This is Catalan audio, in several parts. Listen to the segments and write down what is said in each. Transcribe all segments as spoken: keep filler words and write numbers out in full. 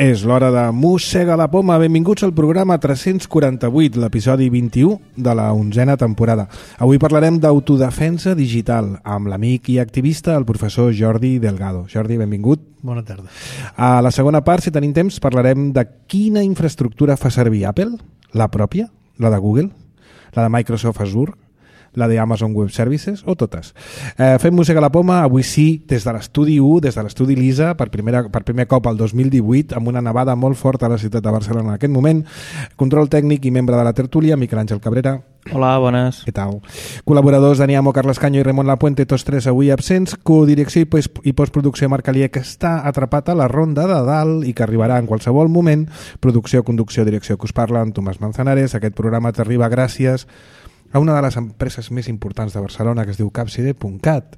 És l'hora de Mossega la Poma. Benvinguts al programa tres-cents quaranta-vuit, l'episodi vint-i-u de la onzena temporada. Avui parlarem d'autodefensa digital amb l'amic i activista, el professor Jordi Delgado. Jordi, benvingut. Bona tarda. A la segona part, si tenim temps, parlarem de quina infraestructura fa servir Apple, la pròpia, la de Google, la de Microsoft Azure, la de Amazon Web Services o totes. Eh, fem Mossega la Poma, avui sí, des de l'estudi u, des de l'estudi Lisa, per, primera, per primer cop al dos mil divuit, amb una nevada molt forta a la ciutat de Barcelona en aquest moment. Control tècnic i membre de la tertúlia, Miquel Àngel Cabrera. Hola, bones. Què tal? Col·laboradors Dani Amo, Carles Canyo i Ramon Lapuente, tots tres avui absents. Codirecció i postproducció Marc Alier, que està atrapat a la ronda de dalt i que arribarà en qualsevol moment. Producció, conducció, direcció que us parla, amb Tomàs Manzanares. Aquest programa t'arriba gràcies a una de les empreses més importants de Barcelona, que es diu Capcide punt cat,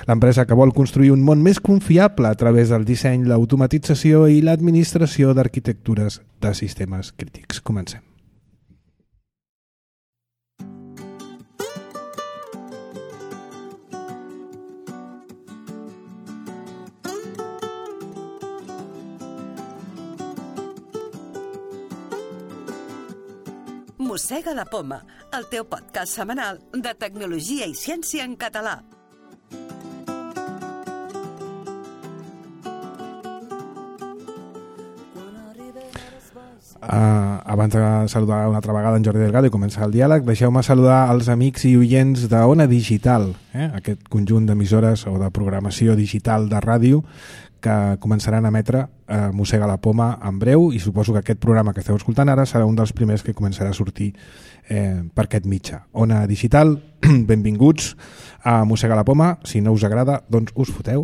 l'empresa que vol construir un món més confiable a través del disseny, l'automatització i l'administració d'arquitectures de sistemes crítics. Comencem. Mossega la Poma, el teu podcast setmanal de tecnologia i ciència en català. Uh, abans de saludar una altra vegada en Jordi Delgado i començar el diàleg, deixeu-me saludar els amics i oients d'Ona Digital, eh? Aquest conjunt d'emissores o de programació digital de ràdio que començaran a emetre eh, Mossega la Poma en breu, i suposo que aquest programa que esteu escoltant ara serà un dels primers que començarà a sortir eh, per aquest mitjà. Ona Digital, benvinguts a Mossega la Poma. Si no us agrada, doncs us foteu.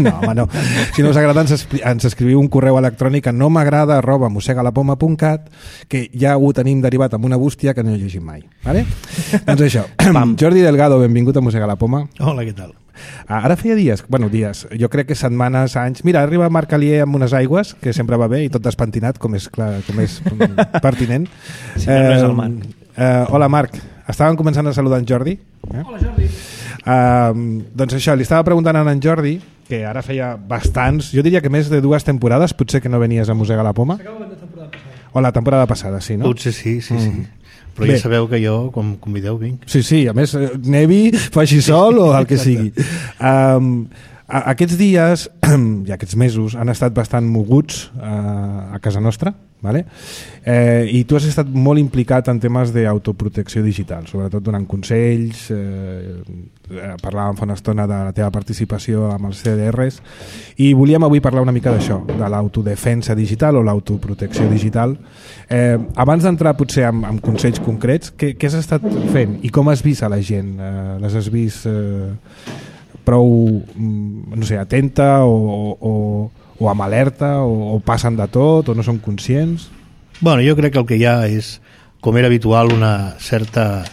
No, home, no. Si no us agrada, ens, ens escriviu un correu electrònic a no m'agrada arroba mossegalapoma punt cat, que ja ho tenim derivat amb una bústia que no he llegit mai. Vale? Doncs això. Jordi Delgado, benvingut a Mossega la Poma. Hola, què tal? Ara feia dies, bueno, dies, jo crec que setmanes, anys... Mira, arriba Marc Alier amb unes aigües, que sempre va bé, i tot despentinat, com és, clar, com és pertinent. Sí, eh, no és el Marc. Eh, hola, Marc. Estàvem començant a saludar en Jordi. Eh? Hola, Jordi. Eh, doncs això, li estava preguntant a en Jordi, que ara feia bastants, jo diria que més de dues temporades, potser que no venies a Mossega la Poma. S'acaba la temporada passada. O la temporada passada, sí, no? Potser sí, sí, sí. Mm. Però Bé. ja sabeu que jo, quan convideu, vinc. Sí, sí, a més, nevi, faci sol o el que sigui. Um, a, aquests dies i aquests mesos han estat bastant moguts uh, a casa nostra, vale? eh, i tu has estat molt implicat en temes d'autoprotecció digital, sobretot donant consells, eh, parlàvem fa una estona de la teva participació amb els C D Rs, i volíem avui parlar una mica d'això, de l'autodefensa digital o l'autoprotecció digital. Eh, abans d'entrar potser amb, amb consells concrets, què, què has estat fent i com has vist a la gent? Eh, les has vist eh, prou, no sé, atenta o, o, o amb alerta o, o passen de tot o no són conscients? Bueno, jo crec que el que hi ha és, com era habitual, una certa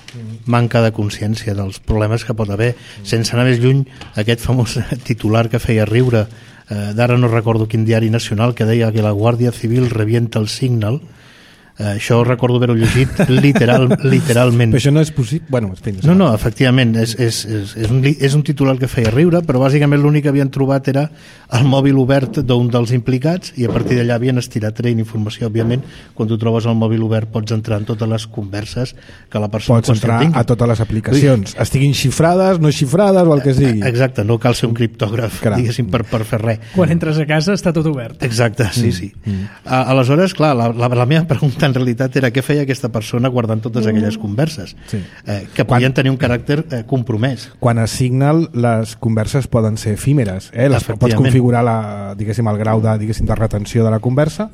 manca de consciència dels problemes que pot haver. Sense anar més lluny, aquest famós titular que feia riure, eh, d'ara no recordo quin diari nacional, que deia que la Guàrdia Civil revienta el Signal. Uh, això recordo haver-ho llegit literal, literalment. Però això no és possible? Bueno, no, no, efectivament és, és, és, és, un, és un titular que feia riure, però bàsicament l'únic que havien trobat era el mòbil obert d'un dels implicats, i a partir d'allà havien estirat traient informació. Òbviament, quan tu trobes el mòbil obert pots entrar en totes les converses que la persona pots entrar tingui. A totes les aplicacions, estiguin xifrades, no xifrades o el que sigui. Exacte, no cal ser un criptògraf, Caram. diguéssim, per, per fer res. Quan entres a casa està tot obert. Exacte, sí, sí. Mm, mm. A, aleshores, clar, la, la, la meva pregunta en realitat era què feia aquesta persona guardant totes aquelles converses, sí. eh, que podien quan, tenir un caràcter eh, compromès. Quan a Signal les converses poden ser efímeres, eh? Les pots configurar la, diguéssim, el grau de, diguéssim, de retenció de la conversa,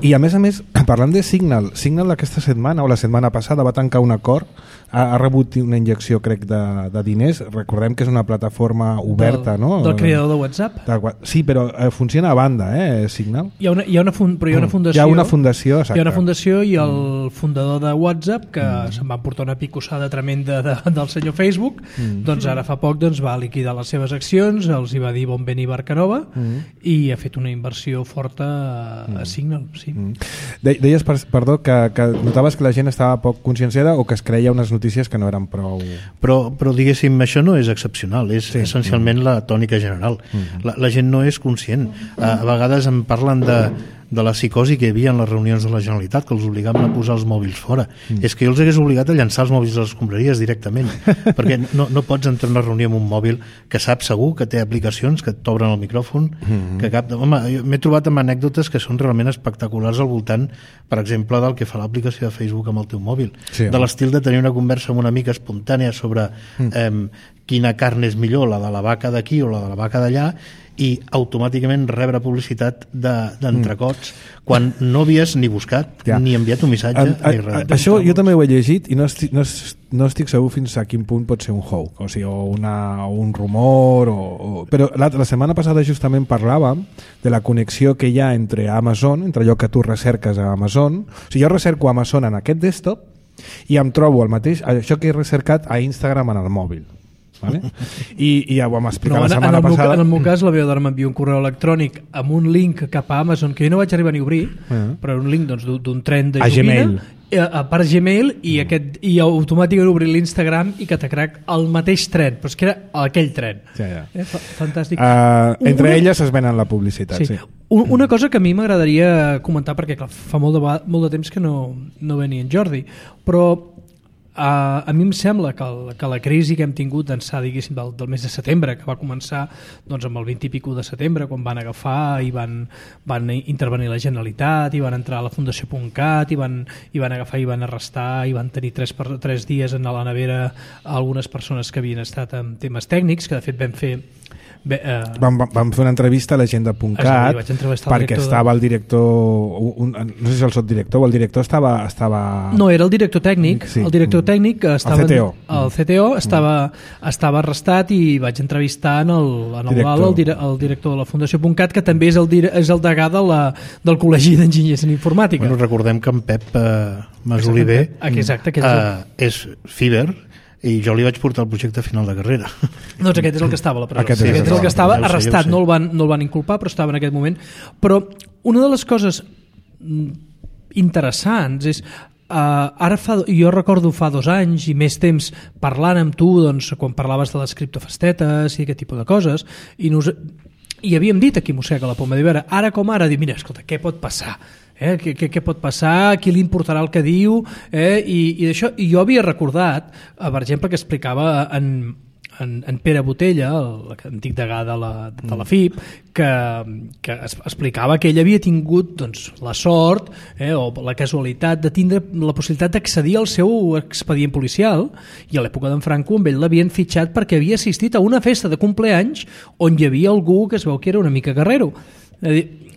i a més a més, parlant de Signal, Signal aquesta setmana o la setmana passada va tancar un acord, ha, ha rebut una injecció, crec, de, de diners. Recordem que és una plataforma oberta, del, no? Del creador de WhatsApp. De, sí, però eh, funciona a banda, eh, Signal. Hi ha una, hi ha una, fun, però hi ha una fundació. Hi ha una fundació, exacte. Hi ha una fundació i el fundador de WhatsApp, que mm. se'n va portar una picossada tremenda de, del senyor Facebook, mm. doncs ara fa poc doncs, va liquidar les seves accions, els hi va dir bon veni Barcanova, mm. i ha fet una inversió forta a, mm. a Signal. Sí. Mm. De, deies, perdó, que, que notaves que la gent estava poc conscienciada o que es creia unes notícies que no eren prou... Però, però diguéssim, això no és excepcional, és sí. essencialment mm. la tònica general. Mm. La, la gent no és conscient. A, a vegades em parlen de de la psicosi que hi havia en les reunions de la Generalitat, que els obligaven a posar els mòbils fora. Mm. És que jo els hagués obligat a llançar els mòbils a les escombraries directament, perquè no, no pots entrar en una reunió amb un mòbil que saps segur que té aplicacions, que t'obren el micròfon, mm. que cap... Home, m'he trobat amb anècdotes que són realment espectaculars al voltant, per exemple, del que fa l'aplicació de Facebook amb el teu mòbil. Sí, de l'estil de tenir una conversa amb una amiga espontània sobre mm. eh, quina carn és millor, la de la vaca d'aquí o la de la vaca d'allà, i automàticament rebre publicitat d'entrecots de, mm. quan no havies ni buscat ja. ni enviat un missatge a, a, ni res. A, això jo també ho he llegit i no estic, no, no estic segur fins a quin punt pot ser un hoax, o sigui, o, una, o un rumor o, o... però la, la setmana passada justament parlàvem de la connexió que hi ha entre Amazon, entre allò que tu recerques a Amazon. O sigui, jo recerco Amazon en aquest desktop i em trobo el mateix, això que he recercat a Instagram en el mòbil. Vale? I, i ja ho vam explicar no, la setmana en el passada. Meu, en el meu cas la meva dona m'envia un correu electrònic amb un link cap a Amazon que jo no vaig arribar ni a obrir, uh-huh. però un link doncs, d'un tren de joguina a part Gmail i, uh-huh. aquest, i automàticament obrir l'Instagram i que t'acrac el mateix tren, però és que era aquell tren. Ja, ja. Eh, fantàstic. Uh, entre una... elles es venen la publicitat. Sí. Sí. Una cosa que a mi m'agradaria comentar, perquè clar, fa molt de, molt de temps que no, no venia en Jordi, però Uh, a mi em sembla que, el, que la crisi que hem tingut d'ençà diguéssim del, del mes de setembre, que va començar doncs, amb el vint i pico de setembre, quan van agafar i van, van intervenir la Generalitat i van entrar a la Fundació .cat i van, i van agafar i van arrestar i van tenir tres, per, tres dies en la nevera algunes persones que havien estat en temes tècnics, que de fet vam fer Bé, uh, vam, vam fer una entrevista a l'agenda punt cat perquè el estava el director un, no sé si el sotdirector o el director estava, estava... no, era el director tècnic sí. el director tècnic estava, el C T O, el C T O estava, mm. estava arrestat i vaig entrevistar en el, en el, director. el, el director de la Fundació .cat, que també és el, és el degà de la, del Col·legi d'Enginyers en Informàtica. Bueno, recordem que en Pep uh, Masoliver exacte, exacte, uh, és Fiber i jo li vaig portar el projecte final de carrera. Doncs aquest és el que estava a la presó. Aquest, sí, aquest és el que estava arrestat, no el, van, no el van inculpar, però estava en aquest moment. Però una de les coses interessants és Uh, ara fa, jo recordo fa dos anys i més temps parlant amb tu doncs, quan parlaves de les criptofestetes i aquest tipus de coses i, nos, i havíem dit aquí mossega la poma d'Ibera, ara com ara, dir, mira, escolta, què pot passar? Eh? Què, què, què pot passar? Qui li importarà el que diu? Eh? I, i, això, i jo havia recordat, per exemple, que explicava en En, en Pere Botella, l'antic degà de la, de la F I P, que, que es, explicava que ell havia tingut doncs, la sort eh, o la casualitat de tindre la possibilitat d'accedir al seu expedient policial, i a l'època d'en Franco amb ell l'havien fitxat perquè havia assistit a una festa de compleanys on hi havia algú que es veu que era una mica guerrero.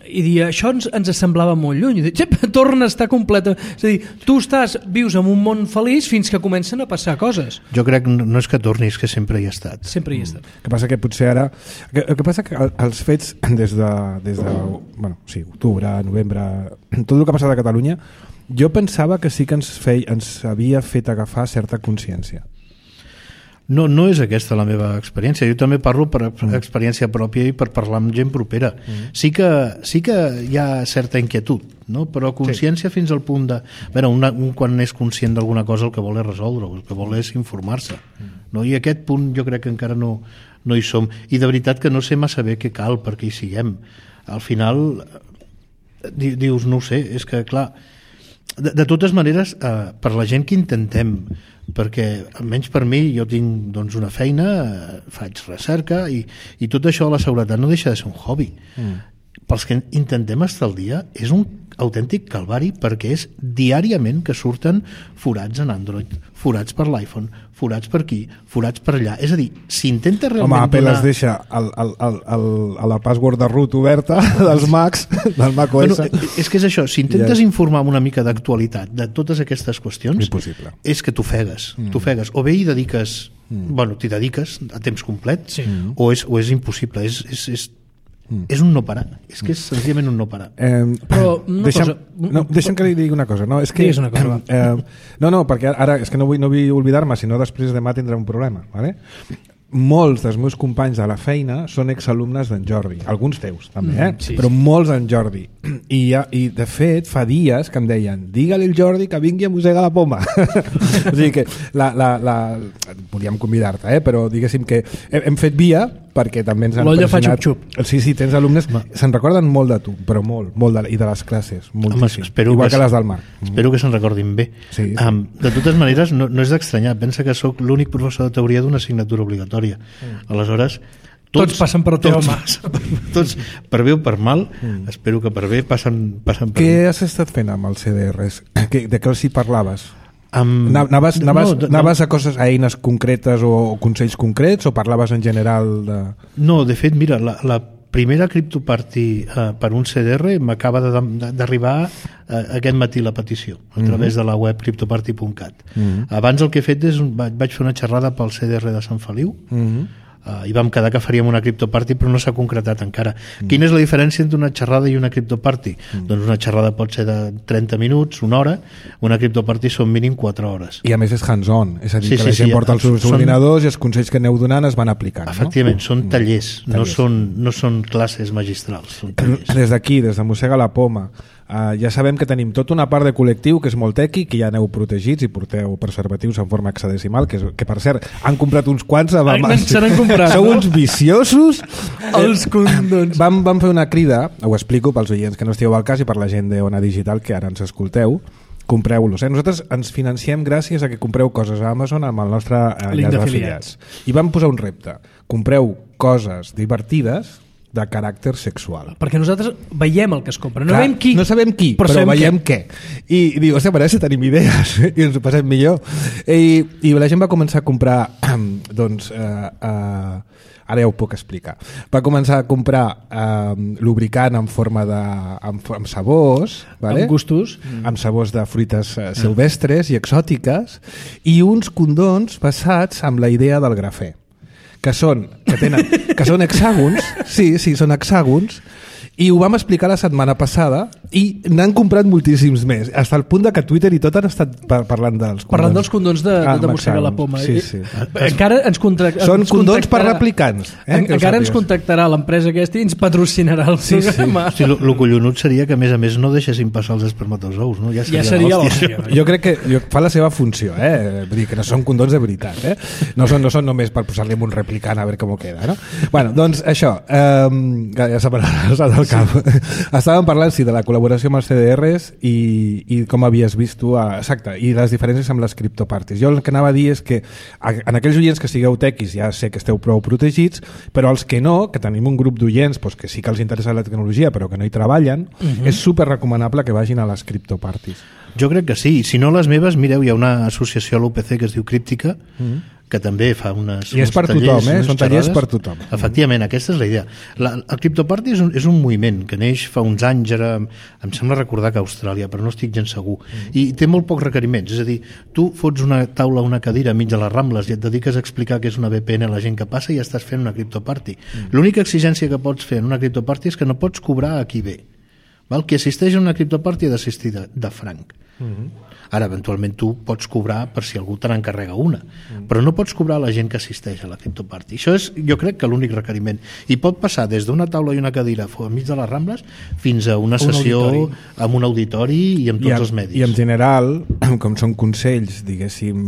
I dir, això ens, ens semblava molt lluny. I dir, torna a estar completa. És a dir, tu estàs, vius en un món feliç fins que comencen a passar coses. Jo crec que no és que torni, és que sempre hi ha estat. Sempre hi ha estat. El que passa que potser ara... El que passa que els fets des de, des de bueno, sí, octubre, novembre, tot el que ha passat a Catalunya, jo pensava que sí que ens, fei, ens havia fet agafar certa consciència. No, no és aquesta la meva experiència. Jo també parlo per experiència pròpia i per parlar amb gent propera. Mm. Sí que, sí que hi ha certa inquietud, no? Però consciència sí. Fins al punt de... A veure, un, un quan és conscient d'alguna cosa el que vol és resoldre, el que vol és informar-se. Mm. No? I aquest punt jo crec que encara no, no hi som. I de veritat que no sé massa bé què cal perquè hi siguem. Al final, di, dius, no ho sé, és que clar... De, de totes maneres, eh, per la gent que intentem, perquè almenys per mi jo tinc doncs, una feina, eh, faig recerca i, i tot això de la seguretat no deixa de ser un hobby. Mm. Pels que intentem estar al dia és un autèntic calvari perquè és diàriament que surten forats en Android, forats per l'iPhone, forats per aquí, forats per allà. És a dir, s'intenta realment... Home, Apple donar... es deixa el, el, el, el, a la password de root oberta dels Macs, del Mac O S. Bueno, és que és això, si intentes ja. informar amb una mica d'actualitat de totes aquestes qüestions, impossible. És que t'ofegues, mm. t'ofegues. O bé hi dediques, mm. bueno, t'hi dediques a temps complet, sí. o, és, o és impossible, és... és, és Mm. és un no parar, és que és senzillament un no parar. Eh, però una deixa'm, cosa... No, deixa'm que li digui una cosa. No, és que, és una cosa. Eh, no, no, perquè ara és que no vull, no vull oblidar-me, si no després demà tindré un problema. ¿Vale? molts dels meus companys de la feina són exalumnes d'en Jordi, alguns teus també, eh? Mm, sí, però sí. molts d'en Jordi I, ja, i de fet fa dies que em deien digue-li al Jordi que vingui a mossegar la poma o sigui que la, la, la... volíem convidar-te eh? Però diguéssim que hem, hem fet via perquè també ens han l'olla fa pressionat. xup-xup. Sí, sí, tens alumnes se'n recorden molt de tu, però molt, molt de, i de les classes moltíssim, Home, igual que, que les del Marc. Espero que se'n recordin bé. Sí, sí. Um, de totes maneres, no, no és d'estranyar, pensa que sóc l'únic professor de teoria d'una assignatura obligatòria. Mm. Aleshores, tots, tots passen per la teva mà. Tots, per bé o per mal, mm. espero que per bé passen, passen per Què mi. has estat fent amb els C D Rs? Que, de què els hi parlaves? Um, Anaves, anaves, no, anaves no. a coses, a eines concretes o, o consells concrets o parlaves en general de... No, de fet, mira, la, la primera CryptoParty uh, per un C D R m'acaba d'arribar uh, aquest matí la petició a través mm -hmm. de la web cryptoparty punt cat. Mm -hmm. Abans el que he fet és vaig, vaig fer una xerrada pel C D R de Sant Feliu mm -hmm. Uh, i vam quedar que faríem una CryptoParty però no s'ha concretat encara. Mm. Quina és la diferència entre una xerrada i una CryptoParty? Mm. Doncs una xerrada pot ser de trenta minuts, una hora, una CryptoParty són mínim quatre hores. I a més és hands-on, és a dir, sí, que sí, la gent sí, porta els seus són... ordinadors i els consells que aneu donant es van aplicant. Efectivament, no? són tallers, mm. no, tallers. són, no són classes magistrals, són tallers. Des d'aquí, des de Mossega la Poma, Uh, ja sabem que tenim tota una part de col·lectiu que és molt tequi, que ja aneu protegits i porteu preservatius en forma hexadecimal, que, és, que per cert, han comprat uns quants abans. Se n'han comprat, Sou no? uns viciosos. Els condons. Vam, vam fer una crida, ho explico pels oients que no estigueu al cas i per la gent d'Ona Digital que ara ens escolteu, compreu-los. Eh? Nosaltres ens financiem gràcies a que compreu coses a Amazon amb el nostre eh, link enllaç d'afiliats. I vam posar un repte. Compreu coses divertides de caràcter sexual. Perquè nosaltres veiem el que es compra, no Clar, veiem qui. No sabem qui, però, però veiem què. què. I, i diu, hòstia, parece que tenim idees i ens ho passem millor. I, i la gent va començar a comprar doncs, eh, eh, ara ja ho puc explicar. Va començar a comprar eh, lubricant en forma de amb, amb sabors, vale? Amb gustos, amb sabors de fruites eh, silvestres i exòtiques, i uns condons basats amb la idea del grafè, que són, que tenen, que són hexàgons, sí, sí, són hexàgons, i ho vam explicar la setmana passada i n'han comprat moltíssims més, fins al punt de que Twitter i tot han estat par parlant dels condons. Parlant dels condons de, ah, de mossegar la poma. Sí, sí. Encara ens, contract, Són ens condons per contactarà, replicants. Eh, en, encara ens contactarà l'empresa aquesta i ens patrocinarà el sí, programa. Sí, el sí, collonut seria que a més a més no deixessin passar els espermatozous, no? Ja seria, ja seria l'hòstia. Jo crec que jo, fa la seva funció, eh? Vull dir que no són condons de veritat, eh? No són, no són només per posar-li un replicant a veure com queda, no? Bueno, doncs això, eh, ja s'ha passat del cap. Sí. Estàvem parlant, sí, de la col·laboració amb els C D Rs i, i com havies vist tu, a, exacte, i les diferències amb les criptoparties. Jo el que anava a dir és que en aquells oients que sigueu tequis ja sé que esteu prou protegits, però els que no, que tenim un grup d'oients doncs, que sí que els interessa la tecnologia però que no hi treballen, uh-huh. és super recomanable que vagin a les criptoparties. Jo crec que sí. Si no les meves, mireu, hi ha una associació a l'U P C que es diu Críptica, uh-huh. que també fa unes, I és per tallers, tothom, eh? Són tallers xerrades. per tothom. Efectivament, aquesta és la idea. La, el CryptoParty és un, és un moviment que neix fa uns anys, ara, em sembla recordar que a Austràlia, però no estic gens segur, mm. i té molt pocs requeriments, és a dir, tu fots una taula, una cadira enmig de les Rambles i et dediques a explicar què és una V P N a la gent que passa i ja estàs fent una CryptoParty. Mm. L'única exigència que pots fer en una CryptoParty és que no pots cobrar a qui ve. Val? Qui assisteix a una CryptoParty ha d'assistir de, de franc. Mm-hmm. Ara, eventualment, tu pots cobrar per si algú te n'encarrega una, mm. però no pots cobrar a la gent que assisteix a la CryptoParty. Això és, jo crec, que l'únic requeriment. I pot passar des d'una taula i una cadira enmig de les Rambles fins a una sessió un amb un auditori i amb tots I en, els medis. I en general, com són consells, diguéssim,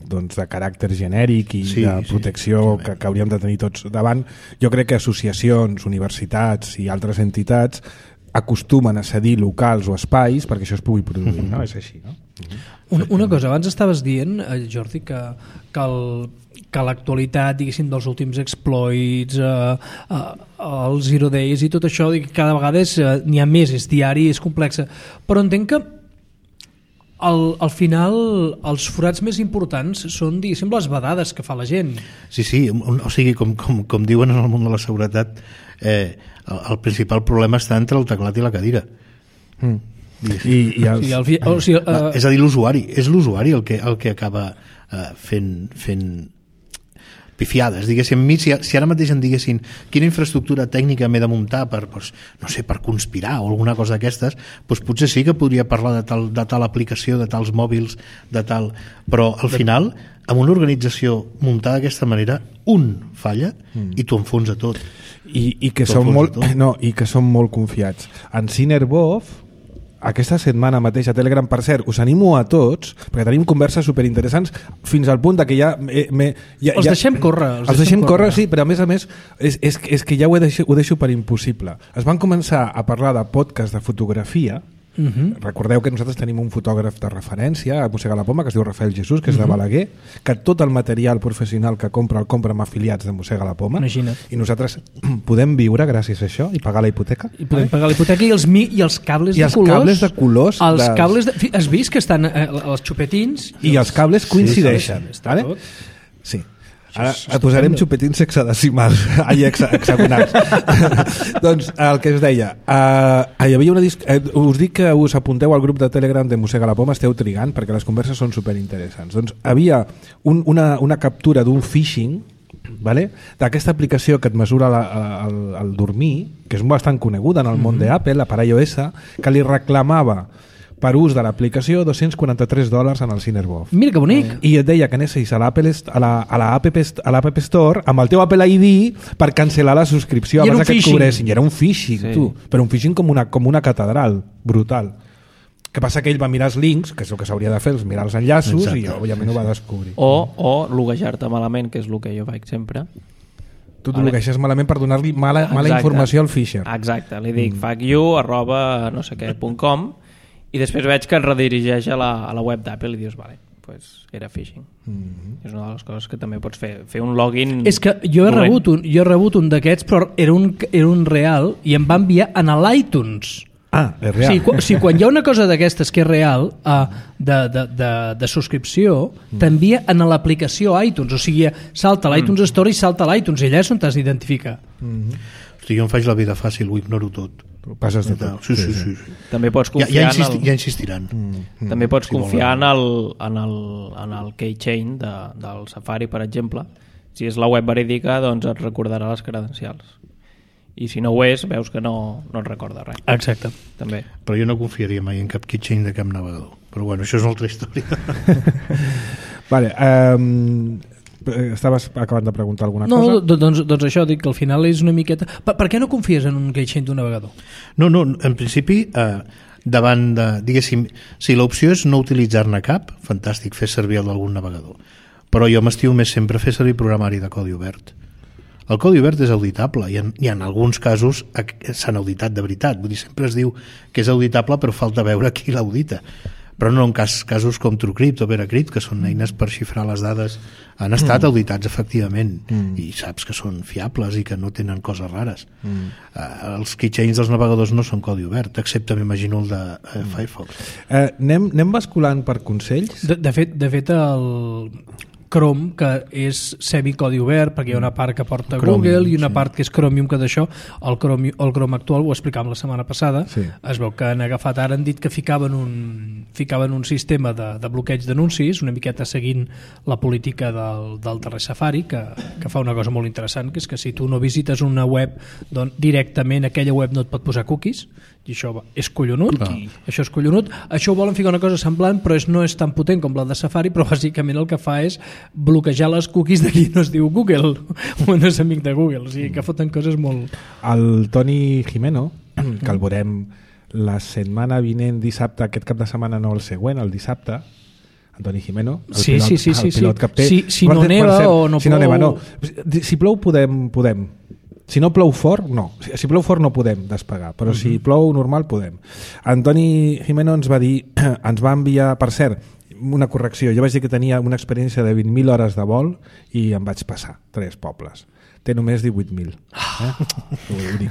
doncs, de caràcter genèric i sí, de protecció sí, que, que hauríem de tenir tots davant, jo crec que associacions, universitats i altres entitats acostumen a cedir locals o espais perquè això es pugui produir, no? És així, no? Una, una cosa, abans estaves dient, Jordi, que, que, el, que l'actualitat, diguéssim, dels últims exploits, eh, eh, els zero days i tot això, cada vegada eh, n'hi ha més, és diari, és complexa, però entenc que al, al final els forats més importants són, diguéssim, les vedades que fa la gent. Sí, sí, o sigui, com, com, com diuen en el món de la seguretat, eh, el, el principal problema està entre el teclat i la cadira. Mm. I, i els... Sí, el, o sigui, uh... és a dir, l'usuari és l'usuari el que, el que acaba uh, fent, fent pifiades, diguéssim. A mi, si, si ara mateix em diguessin quina infraestructura tècnica m'he de muntar per, pues, no sé, per conspirar o alguna cosa d'aquestes, doncs potser sí que podria parlar de tal, de tal aplicació, de tals mòbils, de tal... Però al final, amb una organització muntada d'aquesta manera, un falla mm. i t'ho enfonsa tot. I, i, que són molt, no, i que són molt confiats. En Cinerbov, aquesta setmana mateix a Telegram, per cert, us animo a tots, perquè tenim converses superinteressants fins al punt de que ja... Me, me, ja els ja, deixem córrer. Els, els deixem córrer, córrer, sí, però a més a més és, és, és que ja ho deixo, ho deixo per impossible. Es van començar a parlar de podcast de fotografia. Uh-huh. Recordeu que nosaltres tenim un fotògraf de referència a Mossega la Poma que es diu Rafael Jesús, que és uh-huh. de Balaguer, que tot el material professional que compra el compra amb afiliats de Mossega la Poma. Imagina't. I nosaltres podem viure gràcies a això i pagar la hipoteca. I podem pagar la hipoteca i els, mi, i els cables I de els colors. cables de colors els dels... cables de, has vist que estan eh, els xupetins i, i els cables coincideixen, sí, vale? Sí. Ara et posarem xupetins hexadecimals, ai, hexa, hexagonals. Doncs el que us deia, uh, hi havia una disc... uh, us dic que us apunteu al grup de Telegram de Mossega la Poma, esteu trigant perquè les converses són superinteressants. Doncs havia un, una, una captura d'un phishing, vale? D'aquesta aplicació que et mesura la, el, el dormir, que és bastant coneguda en el món mm-hmm. d'Apple, la per iOS, que li reclamava per ús de l'aplicació dos-cents quaranta-tres dòlars en el Cinerbov. Mira que bonic. I et deia que anessis a l'Apple a la, a la App, a l'App Store amb el teu Apple I D per cancel·lar la subscripció I abans que et cobressin. I era un phishing, sí. tu. Però un phishing com una, com una catedral, brutal. Que passa que ell va mirar els links, que és el que s'hauria de fer, els mirar els enllaços, exacte. I òbviament ho va descobrir. O, o loguejar-te malament, que és el que jo faig sempre. Tu t'ho logueixes malament per donar-li mala, mala informació al Fisher. Exacte, li dic mm. fuck you arroba no sé què punt com i després veig que et redirigeix a la, a la web d'Apple i dius, vale, pues era phishing. Mm-hmm. És una de les coses que també pots fer, fer un login. És que jo he dolent. rebut un, jo he rebut un d'aquests, però era un, era un real i em va enviar en l'iTunes. Ah, és real. Sí, quan, sí, quan hi ha una cosa d'aquestes que és real, uh, de, de, de, de subscripció, mm. t'envia en l'aplicació iTunes, o sigui, salta l'iTunes mm. Store i salta l'iTunes, i allà és on t'has d'identificar. Mm-hmm. Hosti, jo em faig la vida fàcil, ho ignoro tot. Passes de tot. Sí, sí, sí, sí. També pots confiar ja, ja, insisti, en el... ja insistiran. Mm, mm, també pots si confiar volen. en el, en el, en el keychain de, del Safari, per exemple. Si és la web verídica, doncs et recordarà les credencials. I si no ho és, veus que no, no et recorda res. Exacte. També. Però jo no confiaria mai en cap keychain de cap navegador. Però bueno, això és una altra història. Vale, um, estaves acabant de preguntar alguna no, cosa? No, doncs, doncs això, dic que al final és una miqueta... Per, per què no confies en un keychain d'un navegador? No, no, en principi, eh, davant de, diguéssim, si l'opció és no utilitzar-ne cap, fantàstic, fer servir el d'algun navegador. Però jo m'estimo més sempre fer servir programari de codi obert. El codi obert és auditable i en, i en alguns casos s'han auditat de veritat. Vull dir, sempre es diu que és auditable però falta veure qui l'audita. Però no en cas, casos com TrueCrypt o VeraCrypt, que són eines per xifrar les dades, han estat mm. auditats efectivament mm. i saps que són fiables i que no tenen coses rares. Mm. Uh, els keychains dels navegadors no són codi obert, excepte m'imagino el de uh, mm. Firefox. Eh, anem, anem basculant per consells? De, de, fet, de fet, el Chrome, que és semicodi obert, perquè hi ha una part que porta Chromium, Google i una sí. part que és Chromium, que d'això el Chrome, el Chrome actual, ho explicàvem la setmana passada, sí. es veu que han agafat ara, han dit que ficaven un, ficaven un sistema de, de bloqueig d'anuncis, una miqueta seguint la política del, del darrer Safari, que, que fa una cosa molt interessant, que és que si tu no visites una web, doncs directament aquella web no et pot posar cookies, i això és collonut, ah. això és collonut. Això ho volen ficar una cosa semblant, però és, no és tan potent com la de Safari, però bàsicament el que fa és bloquejar les cookies de qui no es diu Google, o no és amic de Google, o sigui que foten coses molt... El Toni Jimeno, que el veurem la setmana vinent, dissabte, aquest cap de setmana no el següent, el dissabte, Antoni Jimeno, el sí, pilot, sí, sí, sí, el pilot sí. capter. Si, si no neva o no si plou... No neva, no. Si plou podem, podem. Si no plou fort, no. Si plou fort no podem despegar, però uh-huh. si plou normal podem. Antoni Jimeno ens va dir, ens va enviar, per cert, una correcció, jo vaig dir que tenia una experiència de vint mil hores de vol i em vaig passar, tres pobles. Té només divuit mil. Eh?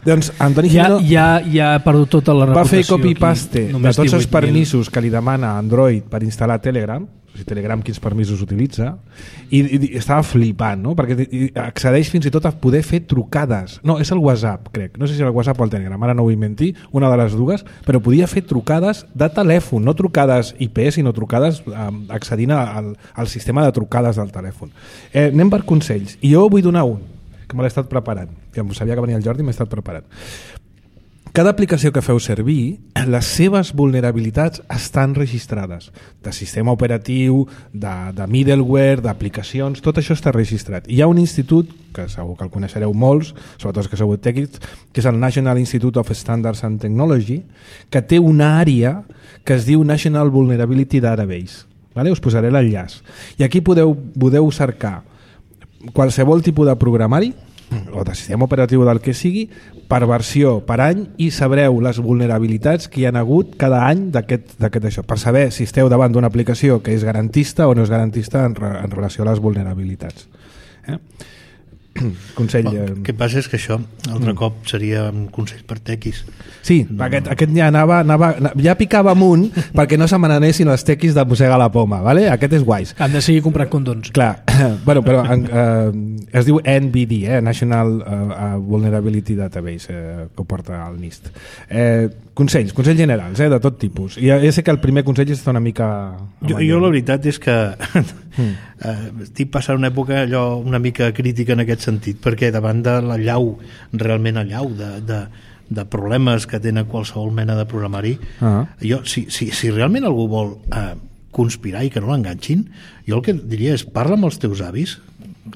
Doncs Antoni Jimeno ja, ja, ja ha perdut tota la reputació. Va fer copy-paste de tots els permisos que li demana Android per instal·lar Telegram. sigui, Telegram quins permisos utilitza, i, i, i estava flipant, no? Perquè accedeix fins i tot a poder fer trucades. No, és el WhatsApp, crec. No sé si el WhatsApp o el Telegram, ara no vull mentir, una de les dues, però podia fer trucades de telèfon, no trucades I P, sinó trucades eh, accedint al, al sistema de trucades del telèfon. Eh, anem per consells, i jo vull donar un, que me l'he estat preparant, que sabia que venia el Jordi i m'he estat preparant. Cada aplicació que feu servir, les seves vulnerabilitats estan registrades, de sistema operatiu, de, de middleware, d'aplicacions, tot això està registrat. Hi ha un institut, que segur que el coneixereu molts, sobretot els que sou tècnics, que és el National Institute of Standards and Technology, que té una àrea que es diu National Vulnerability Database. Vale? Us posaré l'enllaç. I aquí podeu, podeu cercar qualsevol tipus de programari o de sistema operatiu del que sigui per versió, per any, i sabreu les vulnerabilitats que hi ha hagut cada any d'aquest això, per saber si esteu davant d'una aplicació que és garantista o no és garantista en, re, en relació a les vulnerabilitats. Eh? Consell... El que passa és que això altre mm. cop seria un consell per tequis. Sí, no, aquest, no. aquest ja anava, anava ja picava amunt perquè no se me n'anessin els tequis de mossegar la poma, vale? Aquest és guais. Han de seguir comprant condons. Clar, bueno, però eh, es diu N V D, eh? National uh, Vulnerability Database, eh, que ho porta al NIST. Eh, consells, consells generals, eh, de tot tipus. I ja sé que el primer consell està una mica... Jo, jo la veritat és que mm. eh, estic passant una època allò una mica crítica en aquest sentit, perquè davant de la llau, realment a llau de, de, de problemes que tenen qualsevol mena de programari, uh-huh. jo, si, si, si realment algú vol eh, conspirar i que no l'enganxin, jo el que diria és parla amb els teus avis,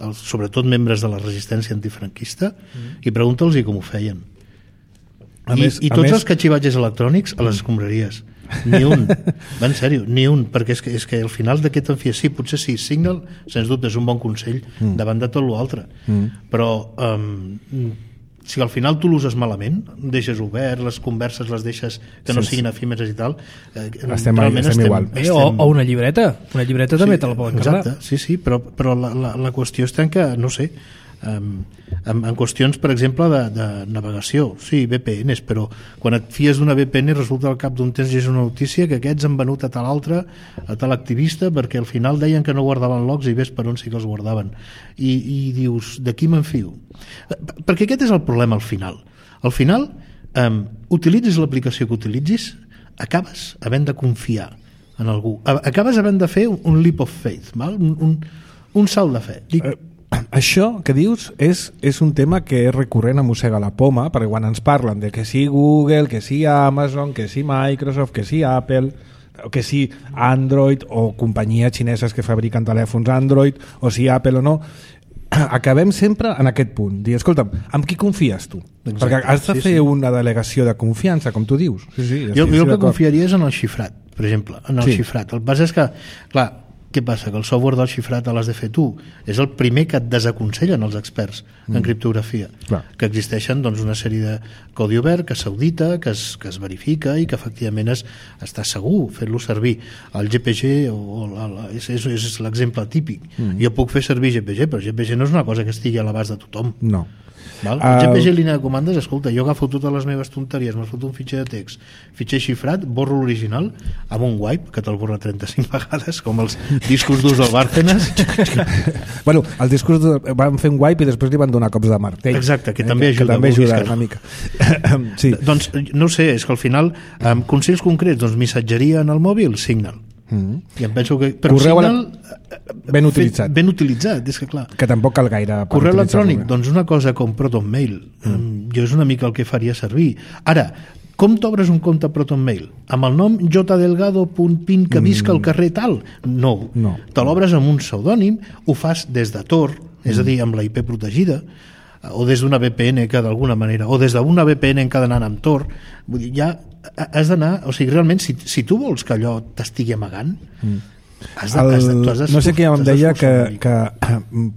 els, sobretot membres de la resistència antifranquista, uh-huh. i pregunta'ls com ho feien. A I, més, i tots més... els catxivatges electrònics a les escombraries. Ni un, va en sèrio, ni un, perquè és que, és que al final d'aquest en fi, sí, potser sí, Signal, sens dubte, és un bon consell mm. davant de tot l'altre, mm. però um, si al final tu l'uses malament, deixes obert, les converses les deixes que no sí, siguin efímeres i tal, eh, estem, realment estem, estem igual. Estem... O, o una llibreta, una llibreta sí, també te la poden carregar. Exacte, sí, sí, però, però la, la, la qüestió està en que, no sé, Um, en, en qüestions, per exemple, de, de navegació, sí, V P Ns, però quan et fies d'una V P N resulta al cap d'un temps llegeix una notícia que aquests han venut a tal altre, a tal activista, perquè al final deien que no guardaven logs i ves per on sí que els guardaven. I, i dius, de qui m'enfio? Perquè aquest és el problema al final. Al final, um, utilitzis l'aplicació que utilitzis, acabes havent de confiar en algú. Acabes havent de fer un leap of faith, val? Un, un, un salt de fe. Dic, això que dius és, és un tema que és recurrent a mossegar la poma, perquè quan ens parlen de que sí Google, que sí Amazon, que sí Microsoft, que sí Apple, que sí Android o companyies xineses que fabriquen telèfons Android, o si Apple o no, acabem sempre en aquest punt. Dir, escolta'm, amb qui confies tu? Exacte, perquè has de sí, fer sí. una delegació de confiança, com tu dius. Sí, sí, jo jo el que confiaria és en el xifrat, per exemple, en el sí. xifrat. El que passa és que, clar, què passa? Que el software del xifrat l'has de fer tu. És el primer que et desaconsellen els experts mm. en criptografia. Clar. Que existeixen doncs, una sèrie de codi obert que s'audita, que, es, que es verifica i que efectivament es, està segur fer-lo servir. El G P G o, o la, és, és, és l'exemple típic. Mm. Jo puc fer servir G P G, però G P G no és una cosa que estigui a l'abast de tothom. No. Val? El G P G línia de comandes, escolta, jo agafo totes les meves tonteries, me'ls foto un fitxer de text, fitxer xifrat, borro l'original amb un wipe, que te'l borra trenta-cinc vegades, com els discos durs del Bárcenas. Bueno, el discurs de... van fer un wipe i després li van donar cops de martell. Exacte, que eh, també ajuda. Que també ajuda una mica. Sí. Doncs, no sé, és que al final, amb consells concrets, doncs missatgeria en el mòbil, Signal. Mm. I em penso que però correu Signal ben utilitzat. ben utilitzat, és que clar, que tampoc cal gaire correu electrònic, doncs una cosa com ProtonMail, mm. jo és una mica el que faria servir. Ara, com t'obres un compte ProtonMail? Amb el nom jdelgado.pin que visca al carrer tal? No, no. Te l'obres amb un pseudònim, ho fas des de Tor, és a dir, amb la I P protegida, o des d'una V P N que d'alguna manera, o des d'una V P N encadenant amb Tor. Vull dir, ja has d'anar, o sigui, realment, si, si tu vols que allò t'estigui amagant, mm. has de, el, has de, tu has de, no sé què em deia que, que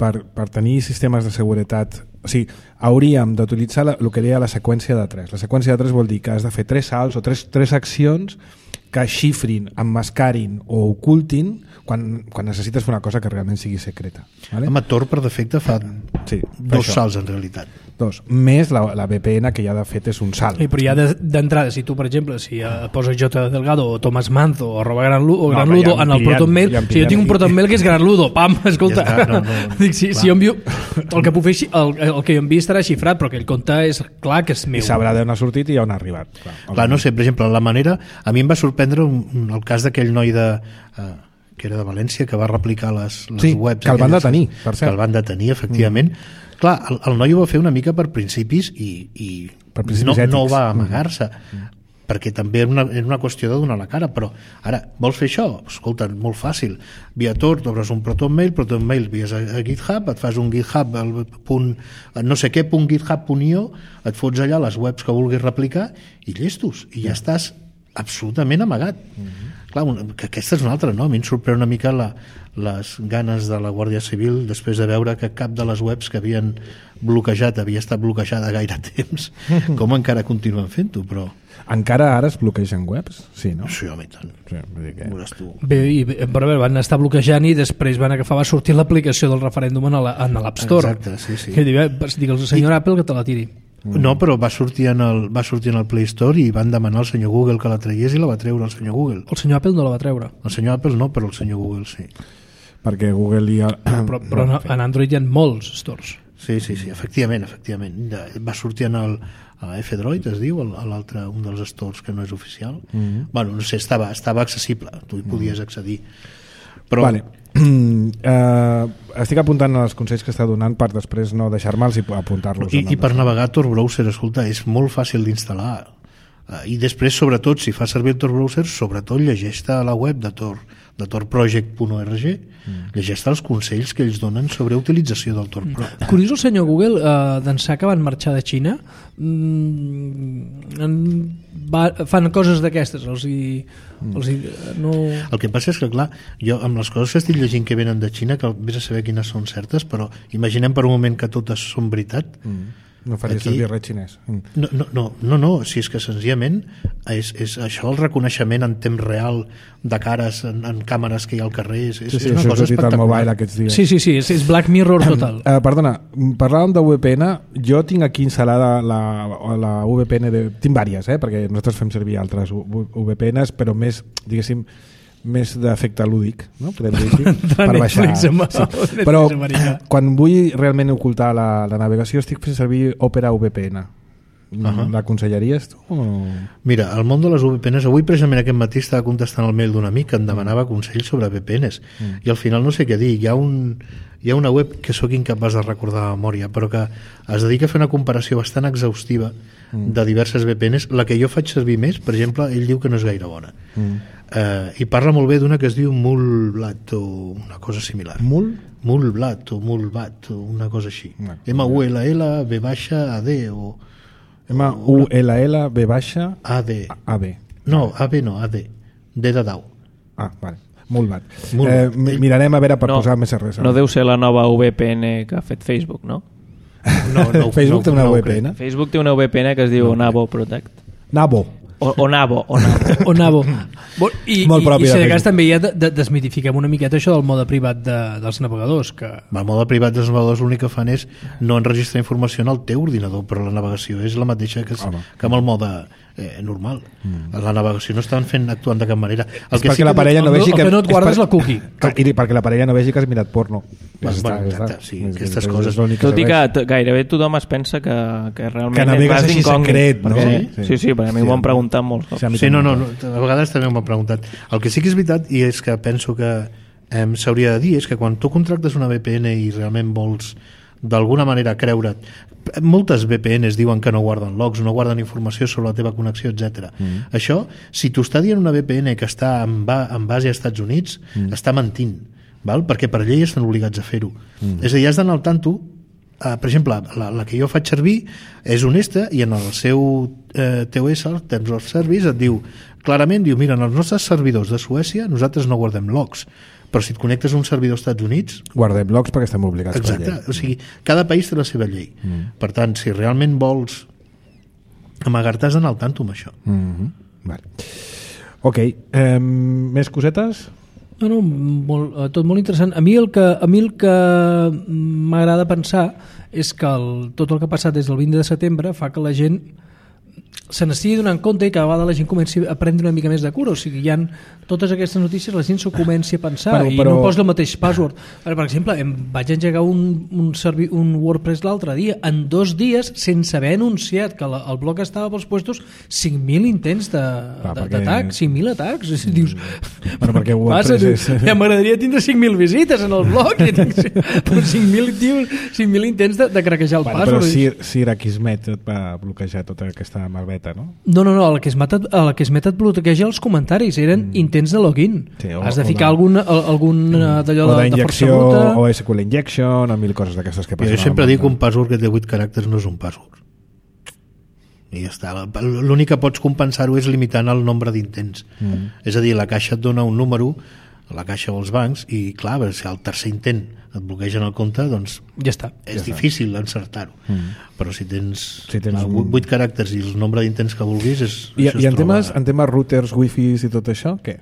per, per tenir sistemes de seguretat, o sigui, hauríem d'utilitzar el que deia la seqüència de tres. La seqüència de tres vol dir que has de fer tres salts o tres, tres accions que xifrin, emmascarin o ocultin quan, quan necessites fer una cosa que realment sigui secreta. Vale? Home, Tor per defecte fa sí, dos salts en realitat. dos. Més la, la V P N que ja de fet és un salt. I, però ja de- d'entrada, si tu, per exemple, si eh, poses J. Delgado o Tomás Manzo o arroba Gran Ludo, o No, Gran però ja Ludo em en el pillen, protonmail, ja em si jo tinc un pillen. protonmail que és Gran Ludo, pam, escolta, Ja està, no, no, dic, si, si jo envio, el que puc fer, xi- el, el que jo enviï estarà xifrat, però aquell compte és clar que és meu. I sabrà d'on ha sortit i on ha arribat. Clar, Clar, no sé, per exemple, la manera... A mi em va sorprendre un, un, el cas d'aquell noi de... Uh, que era de València, que va replicar les, les Sí, webs... que el van aquelles, detenir, per cert. Que el van detenir, efectivament. Mm. Clar, el, el noi ho va fer una mica per principis i, i Per principis no, ètics. no va amagar-se. Mm. Perquè també era una, era una qüestió de donar la cara, però ara, vols fer això? Escolta, molt fàcil. Via Tor, t'obres un ProtonMail, ProtonMail vies a, a GitHub, et fas un GitHub, el punt, no sé què, punt github.io, et fots allà les webs que vulguis replicar i llestos, i ja estàs absolutament amagat. Mm-hmm. Clar, un, que aquesta és una altra, no? A mi em sorprèn una mica la, les ganes de la Guàrdia Civil després de veure que cap de les webs que havien bloquejat havia estat bloquejada gaire temps, com encara continuen fent-ho, però... Encara ara es bloquegen webs? Sí, no? Sí, home, i tant. Sí, vull dir que... Veuràs tu. Bé, i, bé, però bé, van estar bloquejant i després van agafar, va sortir l'aplicació del referèndum en la- en l'App Store. Exacte, sí, sí. Que diu, eh, digue'ls al senyor Apple que te la tiri. No, però va sortir, en el, va sortir en el Play Store i van demanar al senyor Google que la tragués i la va treure el senyor Google. El senyor Apple no la va treure. El senyor Apple no, però el senyor Google sí. Perquè Google i... El... Però, però no, en Android hi ha molts stores. Sí, sí, sí, efectivament, efectivament. De- Va sortir en el a F-Droid, es diu, el- a l'altre, un dels stores que no és oficial. Mm-hmm. Bueno, no sé, estava, estava accessible, tu hi podies accedir. Però, Vale. Uh, estic apuntant els consells que està donant per després no deixar-me'ls i apuntar-los. I, en i el per destorb. navegar Tor Browser, escolta, és molt fàcil d'instal·lar. Uh, I després, sobretot, si fas servir el Tor Browser, sobretot llegeix-te a la web de Tor, de torproject punt org, mm. llegeix-te els consells que ells donen sobre utilització del Tor Pro. Curiós el senyor Google, eh, d'ençà que van marxar de Xina, mm, en, va, fan coses d'aquestes, els hi, els hi, no... El que passa és que, clar, jo amb les coses que estic llegint que venen de Xina, que vés a saber quines són certes, però imaginem per un moment que totes són veritat. Mm. No faria Aquí- servir res xinès. Mm. No, no, no, no, no, si és que senzillament és, és això, el reconeixement en temps real de cares en, en càmeres que hi ha al carrer, és, és, Sí, sí, és una això ha cosa sortit al mobile espectacular. aquests dies. Sí, sí, sí, és, és Black Mirror total. Uh, perdona, parlàvem de V P N. Jo tinc aquí instal·lada la, la V P N, de, tinc vàries, eh, perquè nosaltres fem servir altres V P Ns, però més, diguéssim, més d'efecte lúdic, no? Podem dir així, Entre per baixar. Netflix amb- Sí. Netflix Però americà. quan vull realment ocultar la, la navegació estic fent servir Opera V P N. Ahà. L'aconsellaries tu? O... Mira, el món de les V P Ns, avui precisament aquest matí estava contestant el mail d'un amic que em demanava consells sobre V P Ns mm. i al final no sé què dir, hi ha, un, hi ha una web que sóc incapaç de recordar de memòria, però que es dedica a fer una comparació bastant exhaustiva mm. de diverses V P Ns. La que jo faig servir més, per exemple, ell diu que no és gaire bona. Mm. Uh, i parla molt bé d'una que es diu Mulblat o una cosa similar. Mul? Mulblat o Mulbat o una cosa així. No. M U L L B baixa A D o M U L L B baixa A D. A B. No, A B no, A D. D de dau. Ah, vale. Molt bat. Molt Eh, bat. mi- mirarem a veure per No, posar més res. no deu ser la nova V P N que ha fet Facebook, no? No, no, Facebook té no, una no ho V P N? Facebook té una V P N que es diu Nabo Protect. Nabo. O, o Nabo, o Nabo. O Nabo. Bo, I, Molt i, propi i si de de cas Facebook. també ja de, de, desmitifiquem una miqueta això del mode privat de, dels navegadors, que El mode privat dels navegadors l'únic que fan és no enregistrar informació en el teu ordinador, però la navegació és la mateixa que, Home. que amb el mode eh, normal. Mm. La navegació no estan fent actuant de cap manera. El És perquè la que parella no el vegi no- que... el que no et és guardes per- la cookie. Clar, I perquè la parella no vegi que has mirat porno. Ja Bueno, està, bueno, ja està. exacte, sí, És- aquestes és- coses. és l'únic Tot i que serveix. t- gairebé tothom es pensa que, que realment Que navegues vas així d'incògnit, secret, no? perquè- Sí. Sí, sí, perquè a mi Sí, m'ho han home. preguntat molts cops. Sí, a mi Sí, també. no, no, no, a vegades també m'ho han preguntat. El que sí que és veritat, i és que penso que eh, s'hauria de dir, és que quan tu contractes una V P N i realment vols d'alguna manera creure't, moltes V P Ns diuen que no guarden logs, no guarden informació sobre la teva connexió, etcètera. Mm. Això, si t'ho està dient una V P N que està en, ba en base als Estats Units, mm. està mentint, val? Perquè per llei estan obligats a fer-ho. Mm. És a dir, has d'anar al tanto. Uh, per exemple, la, la que jo faig servir és honesta i en el seu eh, T O S, el Terms of Service, et diu clarament, diu, mira, en els nostres servidors de Suècia nosaltres no guardem logs, però si et connectes a un servidor als Estats Units, Guardem blocs perquè estem obligats per exacte, llei. o sigui, cada país té la seva llei. Mm. Per tant, si realment vols amagar-te, has d'anar al tanto amb això. Mm -hmm. Vale. Ok, eh, més cosetes? No, no, molt, tot molt interessant. A mi el que, a mi el que m'agrada pensar és que el, tot el que ha passat des del vint de setembre fa que la gent se n'estigui donant compte i cada vegada la gent comenci a prendre una mica més de cura, o sigui, hi ha totes aquestes notícies, la gent s'ho comenci a pensar però, però... i no posa el mateix password. Per exemple, em vaig engegar un, un, servi, un WordPress l'altre dia, en dos dies, sense haver anunciat que la, el blog estava pels puestos, cinc mil intents d'atac, perquè... cinc mil atacs. Mm. Dius, bueno, perquè WordPress passa, és... ja m'agradaria tindre cinc mil visites en el blog, i tinc cinc mil intents de, de craquejar el bueno, password. Però Sir, Sir Akismet et va bloquejar tota aquesta malveta, no? No, no, no, el que es meta, el que es met et bloqueja els comentaris, eren mm. intents de login. Sí, o, has de ficar o de... algun, algun mm. d'allò de, de força bruta. O S Q L injection, o mil coses d'aquestes que passen. Jo sempre dic que un password que té vuit caràcters no és un password. I ja està. L'únic que pots compensar-ho és limitant el nombre d'intents. Mm. És a dir, la caixa et dona un número, la caixa o els bancs, i clar, si al tercer intent et bloquegen el compte, doncs ja està. És ja difícil està. encertar-ho. Mm. Però si tens, si tens clar, un... vuit caràcters i el nombre d'intents que vulguis, és, I, això i es en, troba... temes, en temes routers, wifis i tot això, què?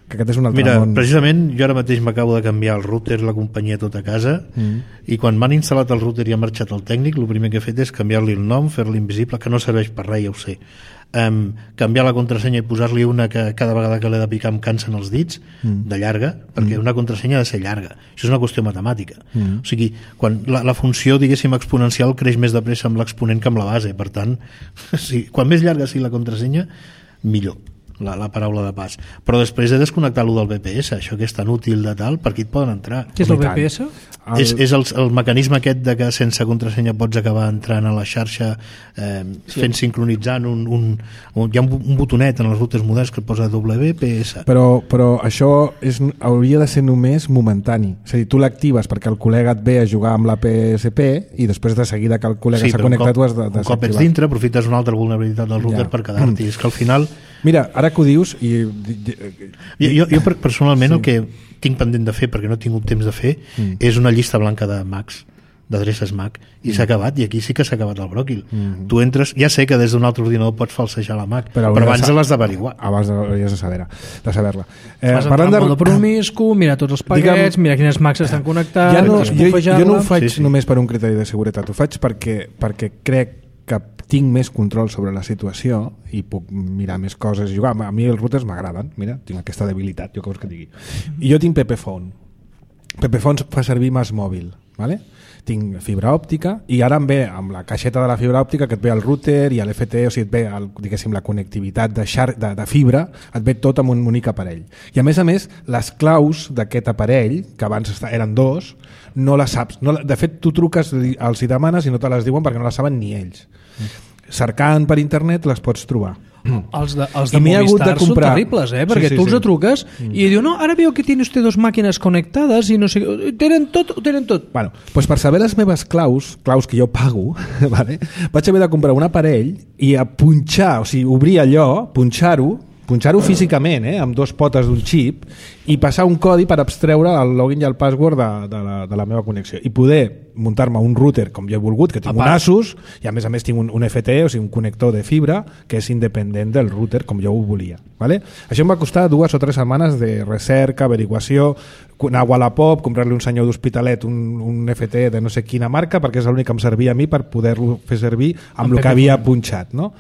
Que aquest és un altre Mira, món. precisament jo ara mateix m'acabo de canviar el router, la companyia tot a casa, mm. i quan m'han instal·lat el router i ha marxat el tècnic, el primer que he fet és canviar-li el nom, fer-li invisible, que no serveix per res, ja ho sé. Um, canviar la contrasenya i posar-li una que cada vegada que l'he de picar em cansen els dits, mm. de llarga, perquè mm. una contrasenya ha de ser llarga. Això és una qüestió matemàtica. Mm. O sigui, quan la, la funció, diguéssim, exponencial creix més de pressa amb l'exponent que amb la base. Per tant, sí, quan més llarga sigui la contrasenya, millor. La, la paraula de pas. Però després he desconnectat lo del V P S, això que és tan útil de tal, per aquí et poden entrar. Què és el V P S? El... És, és el, el mecanisme aquest de que sense contrasenya pots acabar entrant a la xarxa eh, sí. fent sincronitzant un, un, un, hi ha un, un botonet en els routers moderns que et posa W P S. Però, però això és, hauria de ser només momentani. És a dir, tu l'actives perquè el col·lega et ve a jugar amb la P S P i després de seguida que el col·lega s'ha sí, connectat ho has de, de un cop ets dintre aprofites una altra vulnerabilitat del router ja. per quedar-t'hi. És que al final... Mira, ara que ho dius... I... Jo, jo, jo personalment sí. el que tinc pendent de fer, perquè no he tingut temps de fer, mm. és una llista blanca de Macs, d'adreces Mac, i mm. s'ha acabat, i aquí sí que s'ha acabat el bròquil. Mm. Tu entres, ja sé que des d'un altre ordinador pots falsejar la Mac, però, però abans l'has d'averiguar. Abans hauries de saber-la. De saber-la. Eh, Vas entrar de... en el promiscu, mira tots els paquets, Digue'm, mira quines Macs estan connectats, ja no, jo, jo no ho faig sí, sí. només per un criteri de seguretat, ho faig perquè, perquè crec que tinc més control sobre la situació i puc mirar més coses i jugar. A mi els routers m'agraden, mira, tinc aquesta debilitat, jo què vols que digui. I jo tinc Pepephone. Pepephone fa servir Mass Mòbil, ¿vale? Tinc fibra òptica i ara em ve amb la caixeta de la fibra òptica que et ve el router i l'F T, o sigui, et ve el, diguéssim, la connectivitat de, xar, de, de fibra, et ve tot amb un únic aparell. I a més a més, les claus d'aquest aparell, que abans eren dos, no les saps. No, de fet, tu truques, els hi demanes i no te les diuen perquè no les saben ni ells. Cercant per internet les pots trobar. Els de, els de Movistar de comprar... són terribles, eh? Perquè sí, sí, tu els sí. truques mm. i diu, no, ara veo que tiene usted dos màquines connectades i no sé, tenen tot, ho tenen tot. Bueno, pues per saber les meves claus, claus que jo pago, vale? Vaig haver de comprar un aparell i a punxar, o sigui, obrir allò, punxar-ho, punxar-ho físicament, eh, amb dos potes d'un xip i passar un codi per abstreure el login i el password de, de, la, de la meva connexió i poder muntar-me un router com jo he volgut, que tinc un Asus i a més a més tinc un, un F T, o sigui un connector de fibra que és independent del router com jo ho volia, ¿vale? Això em va costar dues o tres setmanes de recerca, averiguació, anar a Wallapop, comprar-li un senyor d'Hospitalet un, un F T de no sé quina marca perquè és l'únic que em servia a mi per poder-lo fer servir amb el que havia punxat, no?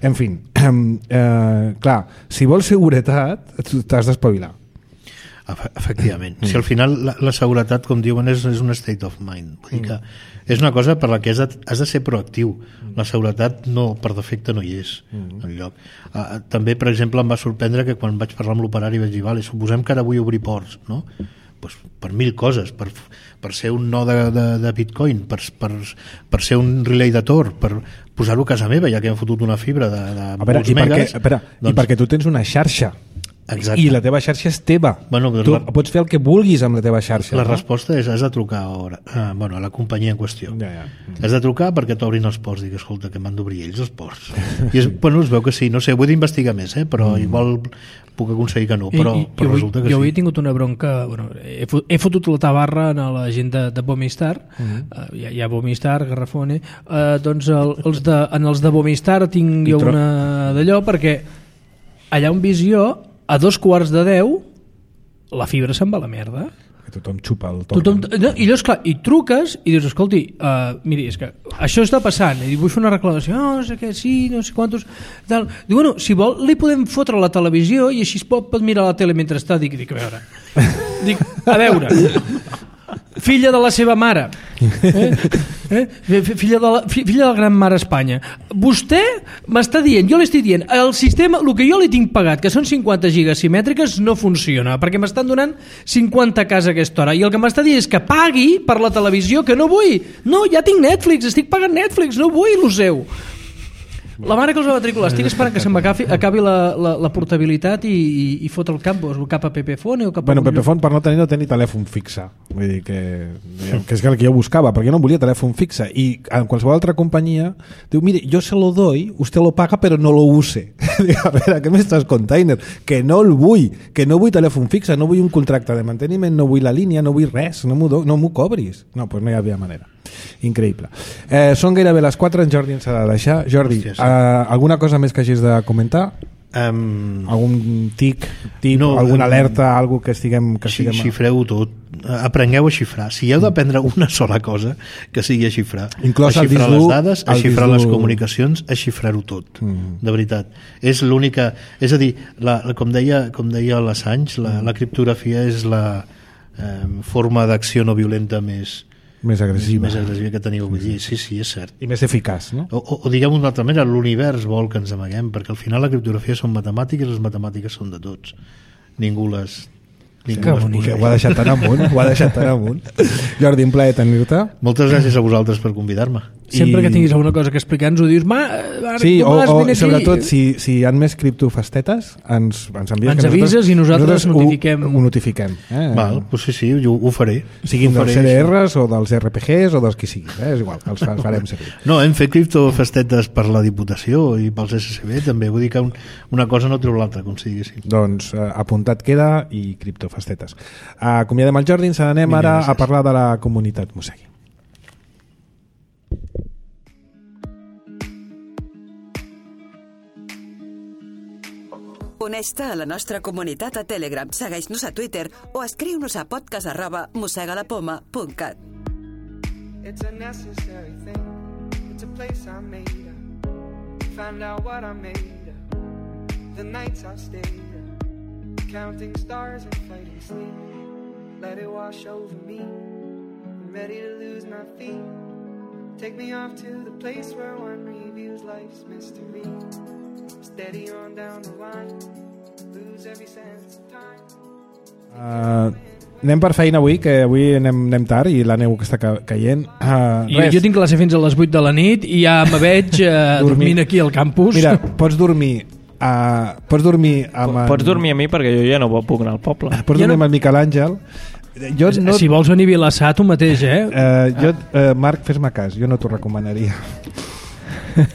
En fi, eh, clar, si vols seguretat t'has d'espavilar. Efectivament. Mm. Si al final la, la seguretat, com diuen, és, és un state of mind. Vull dir que és una cosa per la que has de, has de ser proactiu. La seguretat no, per defecte no hi és mm. enlloc. Uh, també, per exemple, em va sorprendre que quan vaig parlar amb l'operari vaig dir, vale, suposem que ara vull obrir ports, no? Pues per mil coses, per, per ser un no de, de, de Bitcoin, per, per, per ser un relay de Tor, per posar-ho a casa meva, ja que hem fotut una fibra de, de a veure, molts i megas. Perquè, espera, doncs... I perquè tu tens una xarxa. Exacte. I la teva xarxa és teva. Bueno, tu la... pots fer el que vulguis amb la teva xarxa. La no? resposta és has de trucar a, a, bueno, a la companyia en qüestió. Ja, ja. Has de trucar perquè t'obrin els ports. Dic, escolta, que m'han d'obrir ells els ports. I es, bueno, es veu que sí, no sé, vull d'investigar més, eh? Però mm. igual puc aconseguir que no, però, I, i, però jo resulta que jo sí. Jo he tingut una bronca, bueno, he, he fotut la tabarra a la gent de, de Bomistar, mm. uh, hi, ha, hi ha Bomistar, Garrafone, uh, doncs el, els de, en els de Bomistar tinc jo una d'allò, perquè allà on Visió a dos quarts de deu la fibra se'n va a la merda. Que tothom xupa el torn. Tothom, no, i llavors, clar, i truques i dius, escolti, uh, miri, és que això està passant, i vull fer una reclamació, oh, no sé què, sí, no sé quantos, tal. Diu, bueno, si vol, li podem fotre a la televisió i així es pot, pot mirar la tele mentre està. Dic, dic, a veure, dic, a veure, filla de la seva mare, eh? Eh? Filla, de la, filla de la gran mare Espanya, vostè m'està dient, jo li estic dient, el sistema, el que jo li tinc pagat, que són cinquanta gigas simètriques, no funciona, perquè m'estan donant cinquanta cas a aquesta hora, i el que m'està dient és que pagui per la televisió, que no vull, no, ja tinc Netflix, estic pagant Netflix, no vull el seu. La mare que els va matricular, estic esperant que se m'acabi acabi la, la, la portabilitat i, i, i fot el camp, cap a Pepefone o cap a... Bueno, Pepefone per no tenir no tenir telèfon fixe, vull dir que, que és el que jo buscava, perquè jo no volia telèfon fixe, i en qualsevol altra companyia diu, mire, yo se lo doy, usted lo paga pero no lo use. Dic, a veure, què m'estàs container? Que no el vull, que no vull telèfon fixe, no vull un contracte de manteniment, no vull la línia, no vull res, no m'ho do, no m'ho cobris. No, doncs no hi havia manera. Increïble. Eh, són gairebé les quatre, en Jordi ens ha de deixar. Jordi, Hòstia, sí. eh, alguna cosa més que hagis de comentar? Um, algun tic, tip, no, alguna alerta, um, algo que estiguem... Que estiguem... Xifreu tot, aprengueu a xifrar. Si heu d'aprendre una sola cosa, que sigui a xifrar. Inclòs a xifrar les dades, a xifrar dislu... les comunicacions, a xifrar-ho tot, mm. de veritat. És l'única... És a dir, la, la, com deia, com deia l'Assange, la, la criptografia és la eh, forma d'acció no violenta més... més agressiva. més agressiva que teniu avui dia. Sí, sí, és cert. I més eficaç, no? O, o, o diguem d'una altra manera, l'univers vol que ens amaguem, perquè al final la criptografia són matemàtiques, les matemàtiques són de tots. Ningú les... Sí, que bonic, ho ha deixat tan amunt, ho ha deixat tan amunt. Jordi, un plaer tenir-te. Moltes gràcies a vosaltres per convidar-me. Sempre I... que tinguis alguna cosa que explicar ens ho dius, ma, ara, sí, o, o sobretot si, si hi ha més criptofastetes ens, ens envies, ens avises i nosaltres, nosaltres notifiquem. Ho, ho notifiquem eh? Val, doncs sí, sí, ho, ho faré. Siguin ho dels C D Rs o dels R P Gs o dels qui siguin, eh? És igual, els, els farem servir. No, hem fet criptofastetes per la Diputació i pels S C B també, vull dir que un, una cosa no treu l'altra, com si diguéssim. Doncs eh, apuntat queda i criptofastetes. Acomiadem el Jordi, ens anem ara a parlar de la comunitat Mosegui. Uneix-te a la nostra comunitat a Telegram, segueix-nos a Twitter o escriu-nos a podcast arroba mosegalapoma punt cat. It's a necessary thing. It's a place I made up. Found out what I made up. The nights I've stayed up. Counting stars and fighting sleep. Let it wash over me. I'm ready to lose my feet. Take me off to the place where one reviews life's mystery. Steady on down the line. Lose every sense of time. Uh, anem per feina avui, que avui anem, anem tard i la neu que està ca caient. Uh, jo, jo tinc classe fins a les vuit de la nit i ja me veig uh, dormint aquí al campus. Mira, pots dormir uh, pots dormir amb... Pots en... dormir a mi perquè jo ja no puc anar al poble. Pots ja dormir no... amb el Miquel Àngel. Jo no... Si vols venir a Vilassar, tu mateix, eh? Uh, jo, uh, Marc, fes-me cas, jo no t'ho recomanaria.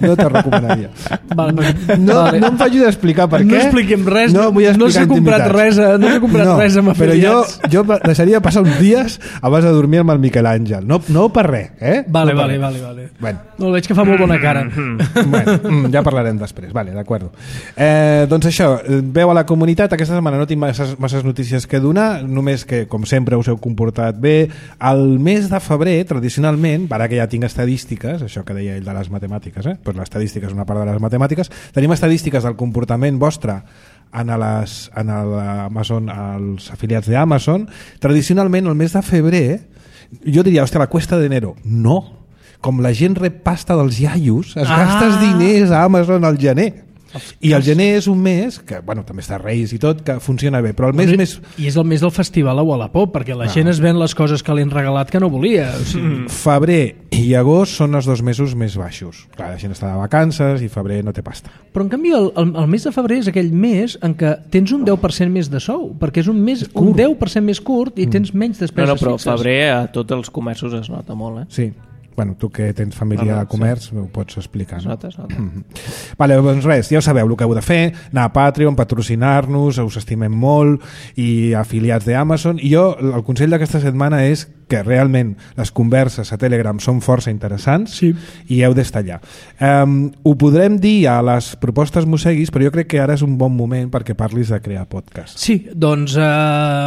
No te recomanaria. Vale, no, vale. no em faci d'explicar per què. No expliquem res. No, no s'ha comprat res, no s'ha comprat no, res amb afiliats. Però jo, jo deixaria passar uns dies abans de dormir amb el Miquel Àngel. No, no per res, eh? Vale, no vale, res. vale, vale. Bueno. No, veig que fa molt bona cara. Bueno, ja parlarem després. Vale, d'acord. Eh, doncs això, veu a la comunitat. Aquesta setmana no tinc masses, masses notícies que donar, només que, com sempre, us heu comportat bé. El mes de febrer, tradicionalment, ara que ja tinc estadístiques, això que deia ell de les matemàtiques, eh? Pues l'estadística és una part de les matemàtiques, tenim estadístiques del comportament vostre en les, en l'Amazon, als afiliats d'Amazon. Tradicionalment el mes de febrer jo diria, hòstia, la cuesta d'enero. No, com la gent rep pasta dels iaios, es ah. gastes diners a Amazon al gener. I el gener és un mes que, bueno, també està Reis i tot, que funciona bé, però el mes més... I és el mes del festival a Wallapop, perquè la ah. gent es ven les coses que li han regalat que no volia. O sigui... mm. Febrer i agost són els dos mesos més baixos. Clar, la gent està de vacances i febrer no té pasta. Però en canvi el, el, el mes de febrer és aquell mes en què tens un deu per cent més de sou, perquè és un mes un deu per cent més curt i tens menys despeses no, no, però fixes. Febrer a tots els comerços es nota molt, eh? Sí. Bueno, tu que tens família de comerç, sí. Ho pots explicar. No? Nota, nota. Mm-hmm. Vale, doncs res, ja ho sabeu el que heu de fer, anar a Patreon, patrocinar-nos, us estimem molt, i afiliats d'Amazon. I jo, el consell d'aquesta setmana és que realment les converses a Telegram són força interessants sí. i heu d'estar allà. Um, ho podrem dir a les propostes Mosseguis, però jo crec que ara és un bon moment perquè parlis de crear podcast. Sí, doncs eh,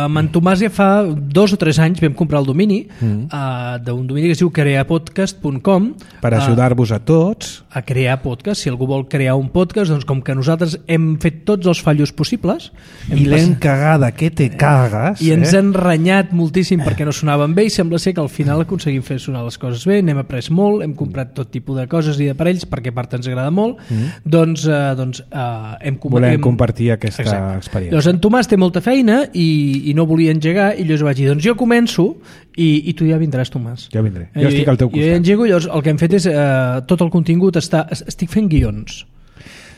amb en Tomàs ja fa dos o tres anys vam comprar el domini mm. eh, d'un domini que es diu creapodcast punt com per ajudar-vos a tots a crear podcast. Si algú vol crear un podcast, doncs com que nosaltres hem fet tots els fallos possibles i l'hem cagada, que te cagues i ens eh? han renyat moltíssim perquè no sonaven bé i sembla ser que al final aconseguim fer sonar les coses bé, n'hem après molt, hem comprat tot tipus de coses i d'aparells perquè a part ens agrada molt, mm. doncs, eh, doncs eh, hem volem hem... compartir aquesta Exacte. experiència. Llavors en Tomàs té molta feina i, i no volia engegar i llavors vaig dir, doncs jo començo i, i tu ja vindràs, Tomàs. Jo vindré, jo eh, estic al teu costat. Jo engego, llavors el que hem fet és eh, tot el contingut està, estic fent guions.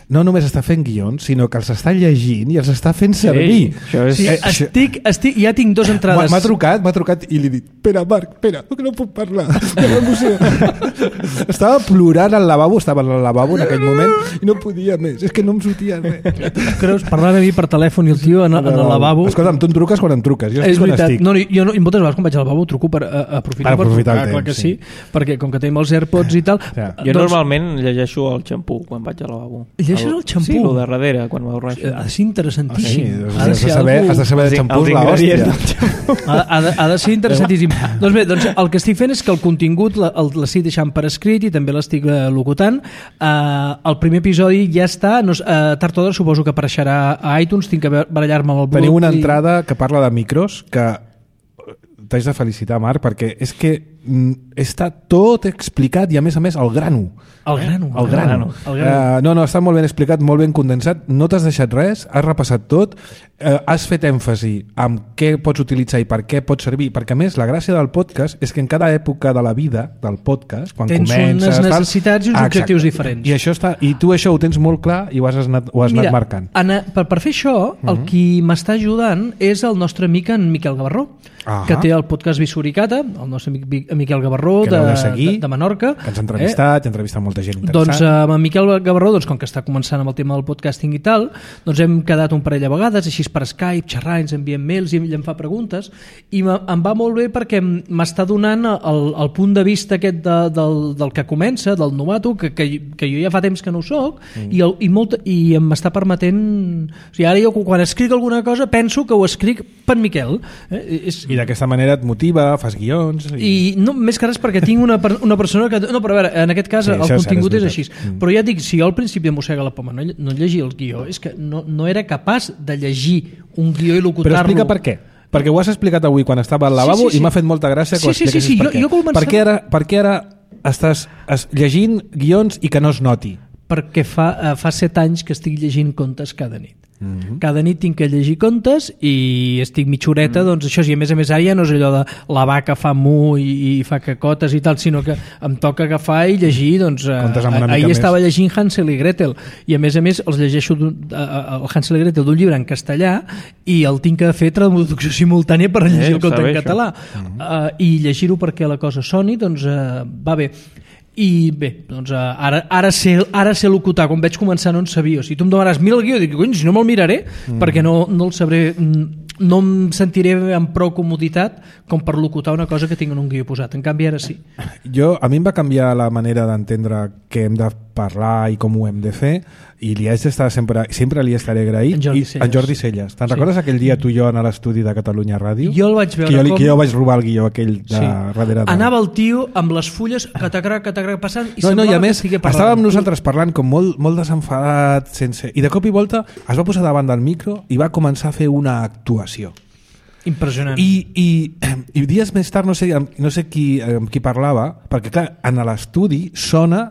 No només està fent guions, sinó que els està llegint i els està fent servir. Ei, és... sí, estic, estic, ja tinc dos entrades. M'ha trucat, m'ha trucat i li he dit, espera, Marc, espera, que no puc parlar. Estava plorant al lavabo, estava al lavabo en aquell moment i no podia més, és que no em sortia res. Creus, parlant a mi per telèfon i el tio en, en el lavabo... Escolta'm, tu em truques quan em truques, jo estic és veritat. quan estic. No, jo no, i moltes vegades quan vaig al lavabo truco per uh, aprofitar, per aprofitar per el trucar, temps, clar que sí. sí, perquè com que tenim els AirPods i tal... Ja. Jo doncs, normalment llegeixo el xampú quan vaig al lavabo. Llegeixes el xampú? Sí, el de darrere, quan m'avorreixo. Ha de ser interessantíssim. Ah, sí, has, de saber, algú... has de saber de xampús l'hòstia. Ha, ha, de, ha de ser interessantíssim. Doncs bé, doncs el que estic fent és que el contingut l'estic deixant per escrit i també l'estic uh, locutant. Uh, el primer episodi ja està, no, uh, tard o d'hora suposo que apareixerà a iTunes, tinc que barallar-me amb el blog. Teniu una i... entrada que parla de micros que t'haig de felicitar, Marc, perquè és que mm, està tot explicat i a més a més el grano. El grano. El grano. El grano. Uh, no, no, està molt ben explicat, molt ben condensat, no t'has deixat res, has repassat tot, uh, has fet èmfasi en què pots utilitzar i per què pot servir, perquè a més la gràcia del podcast és que en cada època de la vida del podcast, quan tens comences... unes necessitats tal, i uns ah, objectius diferents. I, això està, I tu això ho tens molt clar i ho has anat, ho has Mira, anat marcant. Anna, per, per fer això, mm-hmm. el qui m'està ajudant és el nostre amic en Miquel Gavarró, uh-huh. que té el podcast Visuricata, el nostre amic Miquel Gavarró de, de, seguir, de, de Menorca. Que ens ha entrevistat, eh? ha entrevistat molta gent interessant. Doncs amb en Miquel Gavarró, doncs, com que està començant amb el tema del podcasting i tal, doncs hem quedat un parell de vegades, així per Skype, xerrar, ens enviem mails i ell em fa preguntes, i em va molt bé perquè m'està donant el, el punt de vista aquest de, del, del que comença, del novato, que, que, que jo ja fa temps que no ho soc, mm. i, el, i, molt, i em està permetent... O sigui, ara jo quan escric alguna cosa penso que ho escric per Miquel. Eh? És... I d'aquesta manera et motiva, fas guions... I, I no, més que res perquè tinc una, una persona que... No, però a veure, en aquest cas sí, el contingut és, és així. Mm. Però ja et dic, si jo al principi de Mossega la Poma no, no llegia el guió, és que no, no era capaç de llegir un guió i locutar-lo. Però explica per què. Perquè ho has explicat avui quan estava al lavabo sí, sí, sí. i m'ha fet molta gràcia que sí, ho expliquessis sí, sí, sí. per què. Jo, jo començava... per, què ara, per què ara estàs es, llegint guions i que no es noti? Perquè fa, uh, fa set anys que estic llegint contes cada nit. Mm-hmm. Cada nit tinc que llegir contes i estic mitjoreta, mm. doncs això, i a més a més ara ja no és allò de la vaca fa mu i, i fa cacotes i tal, sinó que em toca agafar i llegir, doncs uh, ahir estava llegint Hansel i Gretel i a més a més els llegeixo uh, el Hansel i Gretel d'un llibre en castellà i el tinc que fer traducció simultània per llegir eh, el conte en català mm-hmm. uh, i llegir-ho perquè la cosa soni, doncs uh, va bé. I bé, doncs ara, ara, sé, ara sé locutar, quan vaig començar no en sabia, o sigui, tu em demanaràs mira el guió, dic, cony, si no me'l miraré mm. perquè no, no el sabré, no em sentiré amb prou comoditat com per locutar una cosa que tinc en un guió posat, en canvi ara sí. Jo, a mi em va canviar la manera d'entendre què hem de parlar i com ho hem de fer i li haig d'estar sempre, sempre li estaré agraït. En Jordi I, Celles. En Jordi Celles. Te'n sí. recordes aquell dia tu i jo a l'estudi de Catalunya Ràdio? Jo el vaig veure que jo, com... Que jo vaig robar el guió aquell de sí. darrere de... Anava el tio amb les fulles catacrac, catacrac passant i no, no, i a més, que estigué parlant. Estàvem nosaltres parlant com molt, molt desenfadat sense... i de cop i volta es va posar davant del micro i va començar a fer una actuació. Impressionant. I, i, i dies més tard no sé, no sé qui, amb qui parlava, perquè clar, en l'estudi sona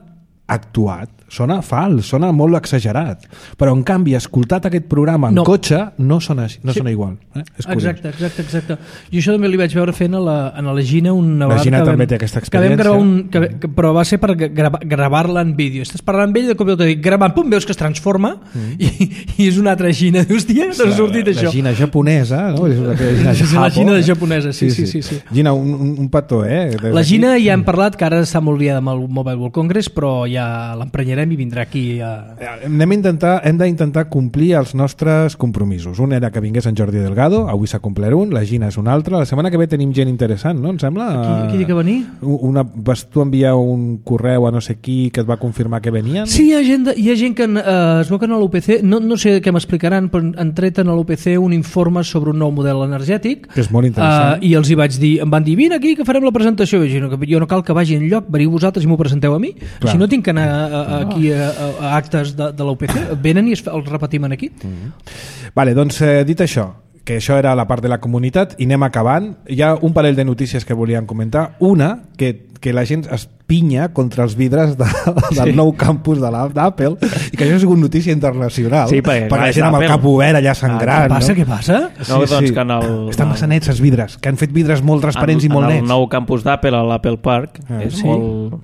actuat, sona fals, sona molt exagerat, però en canvi escoltat aquest programa en no. cotxe no sona, no sí. sona igual. Eh? És exacte, exacte, exacte. I això també li vaig veure fent a la, a la Gina una la Gina que també vam, té aquesta que vam gravar un, que, mm. que, però va ser per gravar, gravar-la en vídeo. Estàs parlant amb ell i de cop i volta dic, gravant, pum, veus que es transforma mm. i, i és una altra Gina. Dius, tia, t'ha sortit la, això. La Gina japonesa, no? És la, Gina és la Gina de japonesa, sí, sí, sí. sí, sí. Gina, un, un, un petó, eh? La Gina ja hem parlat, que ara està molt liada amb el Mobile World Congress, però ja ja l'emprenyarem i vindrà aquí a... Anem a intentar, hem d'intentar complir els nostres compromisos. Un era que vingués en Jordi Delgado, avui s'ha complert un, la Gina és un altre, la setmana que ve tenim gent interessant, no? Em sembla? Qui, qui diu que venir? Una, vas tu enviar un correu a no sé qui que et va confirmar que venien? Sí, hi ha gent, de, hi ha gent que eh, es veu que a l'U P C, no, no sé què m'explicaran, però han tret a l'U P C un informe sobre un nou model energètic, que és molt interessant. Uh, i els hi vaig dir, em van dir, vine aquí que farem la presentació. I jo, no, jo no cal que vagi enlloc, veniu vosaltres i m'ho presenteu a mi. Clar. Així no tinc que anar a, a, aquí a, a, a actes de, de l'U P C. Venen i es, els repetim aquí. Mm-hmm. Vale, doncs eh, dit això, que això era la part de la comunitat, i anem acabant. Hi ha un parell de notícies que volíem comentar. Una, que, que la gent es pinya contra els vidres de, del sí. nou campus de l'Apple, i que això ha sigut notícia internacional, sí, perquè, per la gent amb el cap obert allà sangrant. Ah, què passa, no? què passa? No, sí, doncs sí. que en el... Estan massa nets els vidres, que han fet vidres molt transparents en, i molt nets. nets. En el nou campus d'Apple, a l'Apple Park, ah, és sí? molt...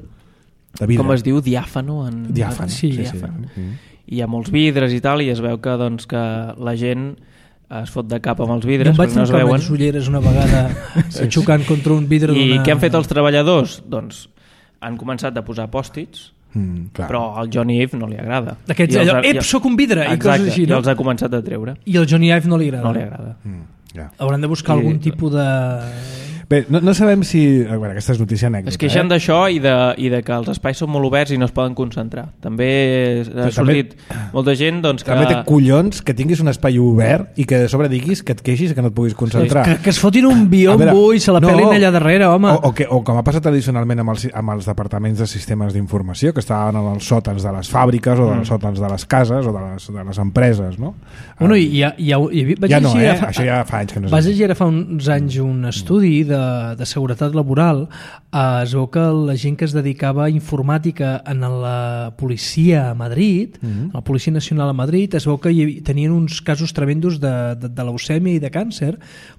Com es diu? Diàfano? En... Diàfano, sí. sí, Diàfano. sí. Hi ha molts vidres i tal, i es veu que, doncs, que la gent es fot de cap amb els vidres. Jo em vaig no trencar unes ulleres una vegada sí, xocant contra un vidre I d'una... què han fet els treballadors? Doncs han començat a posar pòstits, mm, però al Johnny Ive no li agrada. Aquests, I allò, ha, ep, soc un vidre, exacte, i coses així, no? I els ha començat a treure. I al Johnny Ive no li agrada. No li agrada. Mm, yeah. Hauran de buscar I, algun tipus de... Bé, no, no sabem si... Bueno, aquesta és notícia anècdota. Es queixen eh? d'això i, de, i de que els espais són molt oberts i no es poden concentrar. També ha Però sortit també, molta gent doncs, que... També té collons que tinguis un espai obert i que de sobre diguis que et queixis que no et puguis concentrar. Que, que es fotin un biombo i se la no, pelin allà darrere, home. O, o, que, o com ha passat tradicionalment amb els, amb els departaments de sistemes d'informació, que estaven en els sòtans de les fàbriques o dels mm. sòtans de les cases o de les, de les empreses, no? Bueno, um, i ja, ja, ja, vaig ja no, eh? Fa, Això ja fa anys que no és. Vas llegir ara fa uns anys un estudi de, de seguretat laboral. Eh, es veu que la gent que es dedicava a informàtica en la policia a Madrid, mm-hmm. la Policia Nacional a Madrid, es veu que hi havia, tenien uns casos tremendos de, de, de leucèmia i de càncer,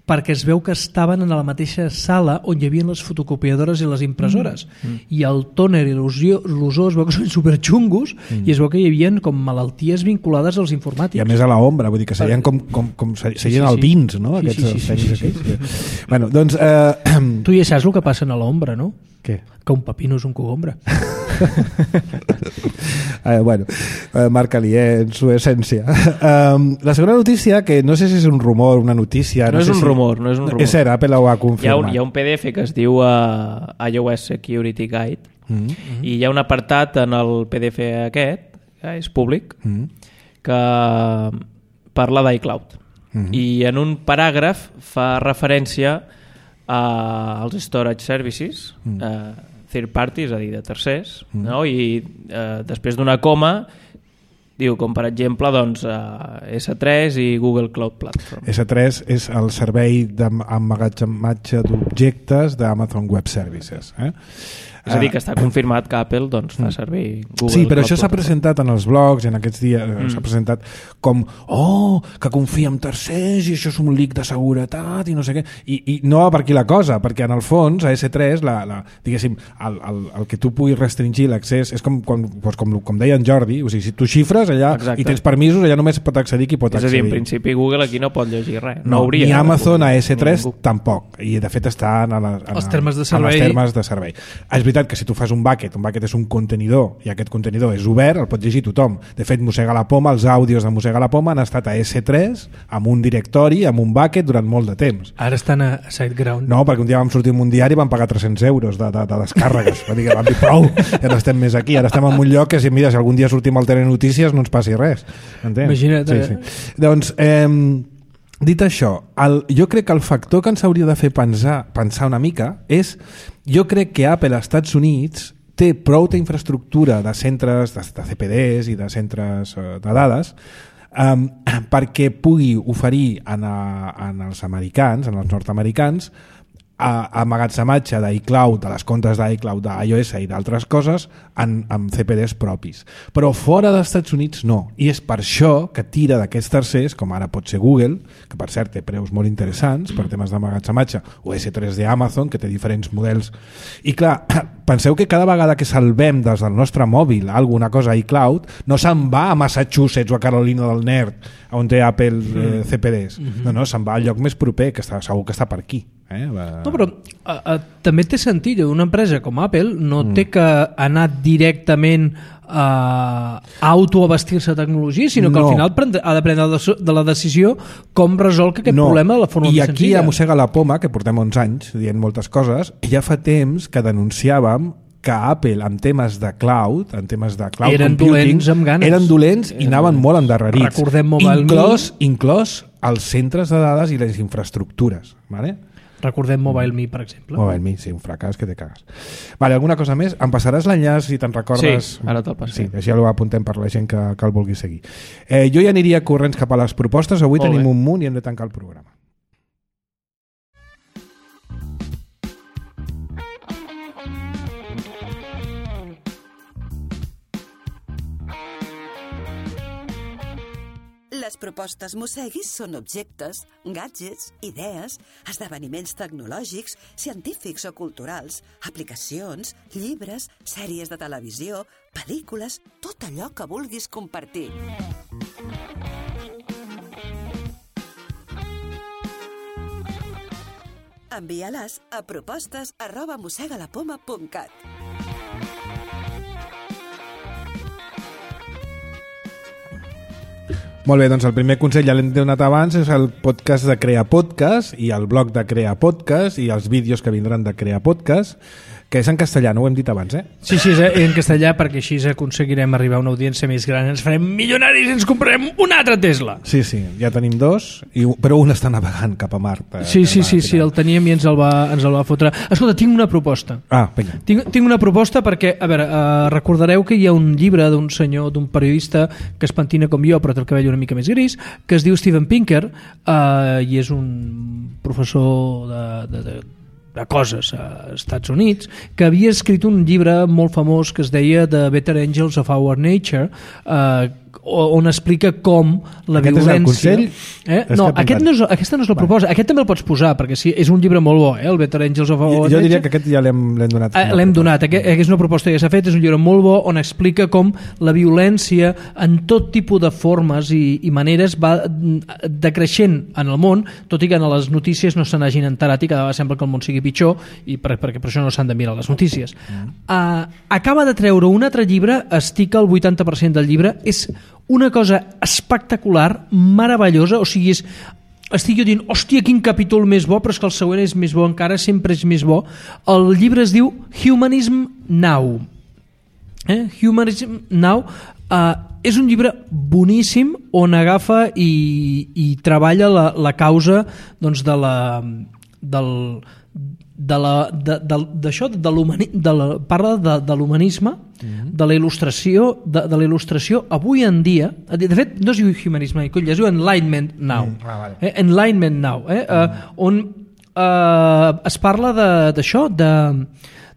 perquè es veu que estaven en la mateixa sala on hi havia les fotocopiadores i les impressores. Mm-hmm. I el tòner i l'ozó es veu que són superxungos mm-hmm. i es veu que hi havia com malalties vinculades als informàtics. I a més a l'ombra, vull dir que serien com, com, com serien sí, sí, sí. albins, no? Sí, Aquests sí, sí, sí, sí, sí, sí. Bueno, doncs... Eh... Tu ja saps el que passa a l'ombra, no? Què? Que un pepino és un cogombre. eh, bueno, eh, marca-li, eh, en su essència. Um, la segona notícia, que no sé si és un rumor, una notícia... No, no és sé un si... rumor, no és un rumor. És cert, Apple ho ha confirmat. Hi ha, un, hi ha un P D F que es diu uh, iOS Security Guide mm-hmm. i hi ha un apartat en el P D F aquest, que és públic, mm-hmm. que parla d'iCloud. Mm-hmm. I en un paràgraf fa referència Uh, als storage services mm. uh, third party, és a dir, de tercers mm. no? I uh, després d'una coma diu com per exemple doncs, uh, S tres i Google Cloud Platform. S tres és el servei d'emmagatzematge d'objectes d'Amazon Web Services, eh? És a dir, que està confirmat que Apple doncs, fa servir Google. Sí, però això s'ha presentat en els blogs, en aquests dies mm. s'ha presentat com, oh, que confia en tercers i això és un leak de seguretat i no sé què. I, i no va per aquí la cosa, perquè en el fons a S tres, la, la, diguéssim, el, el, el que tu puguis restringir l'accés és com, com, doncs com, com deia en Jordi, o sigui, si tu xifres allà Exacte. I tens permisos, allà només pot accedir qui pot és accedir. És a dir, en principi Google aquí no pot llegir res. No, no hauria, ni Amazon a S tres ningú. Tampoc, i de fet està en, la, en, els termes de servei. En els termes de servei. És veritat que si tu fas un bucket, un bucket és un contenidor i aquest contenidor és obert, el pot llegir tothom. De fet, Mossega la Poma, els àudios de Mossega la Poma han estat a S tres amb un directori, amb un bucket durant molt de temps. Ara estan a SiteGround. No, perquè un dia vam sortir en un diari i vam pagar tres-cents euros de, de, de descàrregues. Va dir que vam dir prou, ja no estem més aquí. Ara estem en un lloc que si, mira, si algun dia sortim al Telenotícies no ens passi res. Entens? Imagina't. Sí, sí. Doncs, eh, dit això, el, jo crec que el factor que ens hauria de fer pensar, pensar una mica és, jo crec que Apple als Estats Units té prou d'infraestructura de centres, de, de C P Ds i de centres uh, de dades um, perquè pugui oferir en, a, en els americans, en els nord-americans, a emmagatzematge d'iCloud, de les comptes d'iCloud, d'iOS i d'altres coses en, amb C P Ds propis. Però fora dels Estats Units no. I és per això que tira d'aquests tercers, com ara pot ser Google, que per cert té preus molt interessants per temes d'emmagatzematge, o S tres d'Amazon, que té diferents models. I clar, penseu que cada vegada que salvem des del nostre mòbil alguna cosa a iCloud, no se'n va a Massachusetts o a Carolina del Nord, on té Apple eh, C P Ds. No, no, se'n va al lloc més proper, que està, segur que està per aquí. Eh? Va... No, però a, a, també té sentit. Una empresa com Apple no mm. té que anar directament a, a autoabastir-se de tecnologia, sinó que no. al final prendre, ha de prendre de la decisió com resol aquest no. problema de la forma I més aquí senzilla. a Mossega la Poma, que portem onze anys dient moltes coses, ja fa temps que denunciàvem que Apple en temes de cloud, en temes de cloud eren computing, dolents amb ganes. eren dolents i anaven molt endarrerits. Recordem Mobile inclòs, inclòs els centres de dades i les infraestructures. Vale? Recordem Mobile Me, per exemple. Mobile Me, sí, un fracàs que te cagues. Vale, alguna cosa més? Em passaràs l'enllaç si te'n recordes? Sí, ara te'l passaré. Sí, així ja l'apuntem per la gent que, que el vulgui seguir. Eh, jo ja aniria corrents cap a les propostes. Avui molt tenim bé. un munt i hem de tancar el programa. Les propostes Mosseguis són objectes, gadgets, idees, esdeveniments tecnològics, científics o culturals, aplicacions, llibres, sèries de televisió, pel·lícules, tot allò que vulguis compartir. Envia-les a propostes arroba mossegalapoma punt cat. Molt bé, doncs el primer consell ja l'hem donat abans, és el podcast de Crea Podcast i el blog de Crea Podcast i els vídeos que vindran de Crea Podcast, que és en castellà, no ho hem dit abans, eh? Sí, sí, és en castellà, perquè així aconseguirem arribar a una audiència més gran, ens farem milionaris i ens comprarem un altre Tesla. Sí, sí, ja tenim dos, i, però un està navegant cap a Mart. Eh, sí, sí, sí, sí, el teníem i ens el va, ens el va fotre. Escolta, tinc una proposta. Ah, vinga. Tinc, tinc una proposta perquè, a veure, uh, recordareu que hi ha un llibre d'un senyor, d'un periodista que es pentina com jo, però té el cabell una mica més gris, que es diu Steven Pinker, uh, i és un professor de... de, de de coses als Estats Units, que havia escrit un llibre molt famós que es deia The Better Angels of Our Nature, eh, on explica com la aquest violència... És el consell? Eh? No, aquest no és, aquesta no és la proposta. Aquest també el pots posar, perquè sí, és un llibre molt bo, eh? El Better Angels of Our jo, Nature. jo diria que aquest ja l'hem donat. Eh, l'hem donat. Aquest, és una proposta que s'ha fet, és un llibre molt bo on explica com la violència en tot tipus de formes i, i maneres va decreixent en el món, tot i que en les notícies no se n'hagin enterat i cada vegada sembla que el món sigui pitjor i per, perquè per això no s'han de mirar les notícies. Mm. Uh, acaba de treure un altre llibre, estica el vuitanta per cent del llibre, és una cosa espectacular, meravellosa, o sigui, és, estic jo dient, hòstia, quin capítol més bo, però és que el següent és més bo encara, sempre és més bo. El llibre es diu Humanism Now. Eh? Humanism Now uh, és un llibre boníssim on agafa i, i treballa la, la causa doncs, de la... del de la, de, de, d'això, de l'humani, de la, parla de, de l'humanisme, mm-hmm. de la il·lustració, de, de la il·lustració avui en dia, de fet no es diu humanisme, es diu Enlightenment Now, mm, ah, vale. eh? Enlightenment Now, eh? Mm. Uh, on uh, es parla de, d'això, de,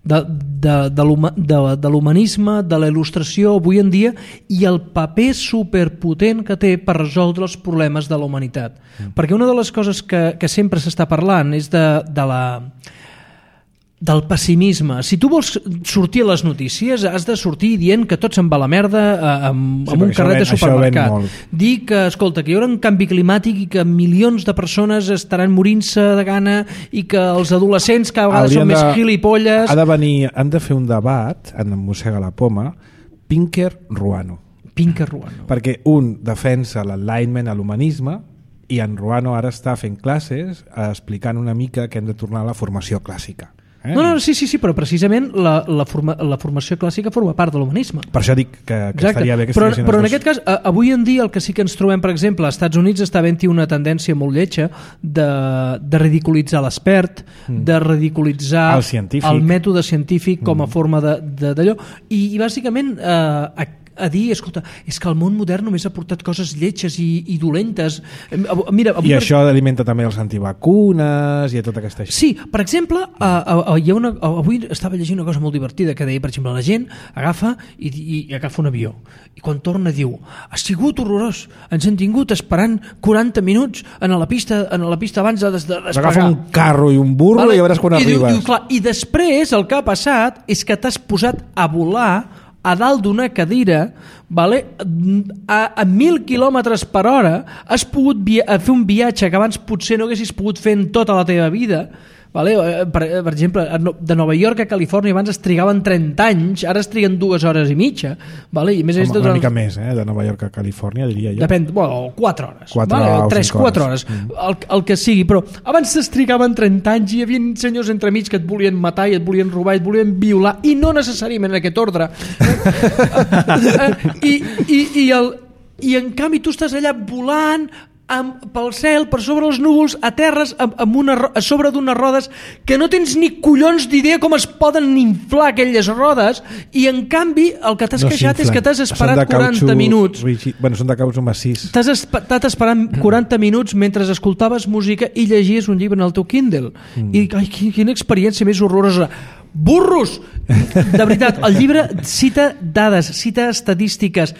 de, de, de, de, de l'humanisme, de la il·lustració avui en dia i el paper superpotent que té per resoldre els problemes de la humanitat. Mm. Perquè una de les coses que, que sempre s'està parlant és de, de la... del pessimisme. Si tu vols sortir a les notícies, has de sortir dient que tot se'n va a la merda amb, sí, amb un carret ven, de supermercat. Dir que, escolta, que hi haurà un canvi climàtic i que milions de persones estaran morint-se de gana i que els adolescents cada vegada Haurien són de, més gilipolles. Ha de venir, han de fer un debat en Mossega la Poma, Pinker-Ruano. Pinker-Ruano. Perquè un defensa l'enlightenment a l'humanisme i en Ruano ara està fent classes explicant una mica que hem de tornar a la formació clàssica. Eh? No, no, sí, sí, sí, però precisament la, la, forma, la formació clàssica forma part de l'humanisme. Per això dic que, que estaria bé que però, però en aquest cas, avui en dia el que sí que ens trobem, per exemple, als Estats Units està havent-hi una tendència molt lletja de, de ridiculitzar l'expert, mm. de ridiculitzar el, científic. el mètode científic com a mm. forma d'allò, i, i bàsicament eh, a dir, escolta, és que el món modern només ha portat coses lletges i, i dolentes. Mira, avui I això alimenta també els antivacunes i a tota aquesta... Sí, per exemple, uh, uh, hi ha una, uh, avui estava llegint una cosa molt divertida que deia, per exemple, la gent agafa i, i, i agafa un avió i quan torna diu, ha sigut horrorós, ens hem tingut esperant quaranta minuts en la pista, en la pista abans de despegar. Agafa un carro i un burro vale? I ja veuràs quan I arribes. Diu, diu, clar, I després el que ha passat és que t'has posat a volar a dalt d'una cadira, vale? a, a mil quilòmetres per hora, has pogut via- fer un viatge que abans potser no haguessis pogut fer en tota la teva vida, Vale? Per, per exemple, de Nova York a Califòrnia abans es trigaven trenta anys, ara es triguen dues hores i mitja. Vale? I més Home, és de una durant... mica més, eh? De Nova York a Califòrnia, diria jo. Depèn, bueno, quatre hores. quatre vale? o tres, cinc quatre hores. hores. Mm. El, el que sigui, però abans es trigaven trenta anys i hi havia senyors entremig que et volien matar i et volien robar i et volien violar, i no necessàriament en aquest ordre. I, i, i, el, I en canvi tu estàs allà volant amb, pel cel, per sobre els núvols, a terres, amb, amb una, a sobre d'unes rodes que no tens ni collons d'idea com es poden inflar aquelles rodes, i en canvi el que t'has No queixat és que t'has Són esperat de cautxú quaranta minuts. rígid. Bueno, són de cautxú massís. T'has estat esperant quaranta minuts mentre escoltaves música i llegies un llibre en el teu Kindle. Mm. I ai, quina experiència més horrorosa. Burros! De veritat, el llibre cita dades, cita estadístiques.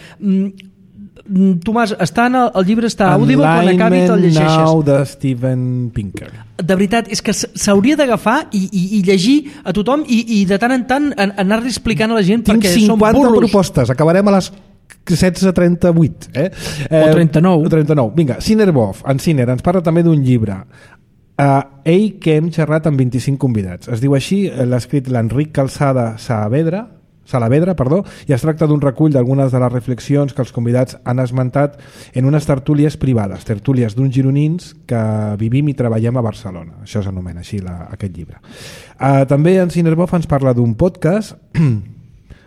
Tomàs, està en el, el llibre està Audible, quan acabi te'l llegeixes. Now de Steven Pinker. De veritat, és que s'hauria d'agafar i, i, i llegir a tothom i, i de tant en tant anar-li explicant a la gent Tinc perquè són cinquanta burros. propostes, acabarem a les setze trenta-vuit. Eh? O trenta-nou. O trenta-nou. Vinga, Cinerbov, en Ciner, ens parla també d'un llibre. Uh, ell que hem xerrat amb vint-i-cinc convidats. Es diu així, l'ha escrit l'Enric Calçada Saavedra, Salavedra, perdó, i es tracta d'un recull d'algunes de les reflexions que els convidats han esmentat en unes tertúlies privades, tertúlies d'uns gironins que vivim i treballem a Barcelona. Això s'anomena així la, aquest llibre. Uh, també en Cinerbov ens parla d'un podcast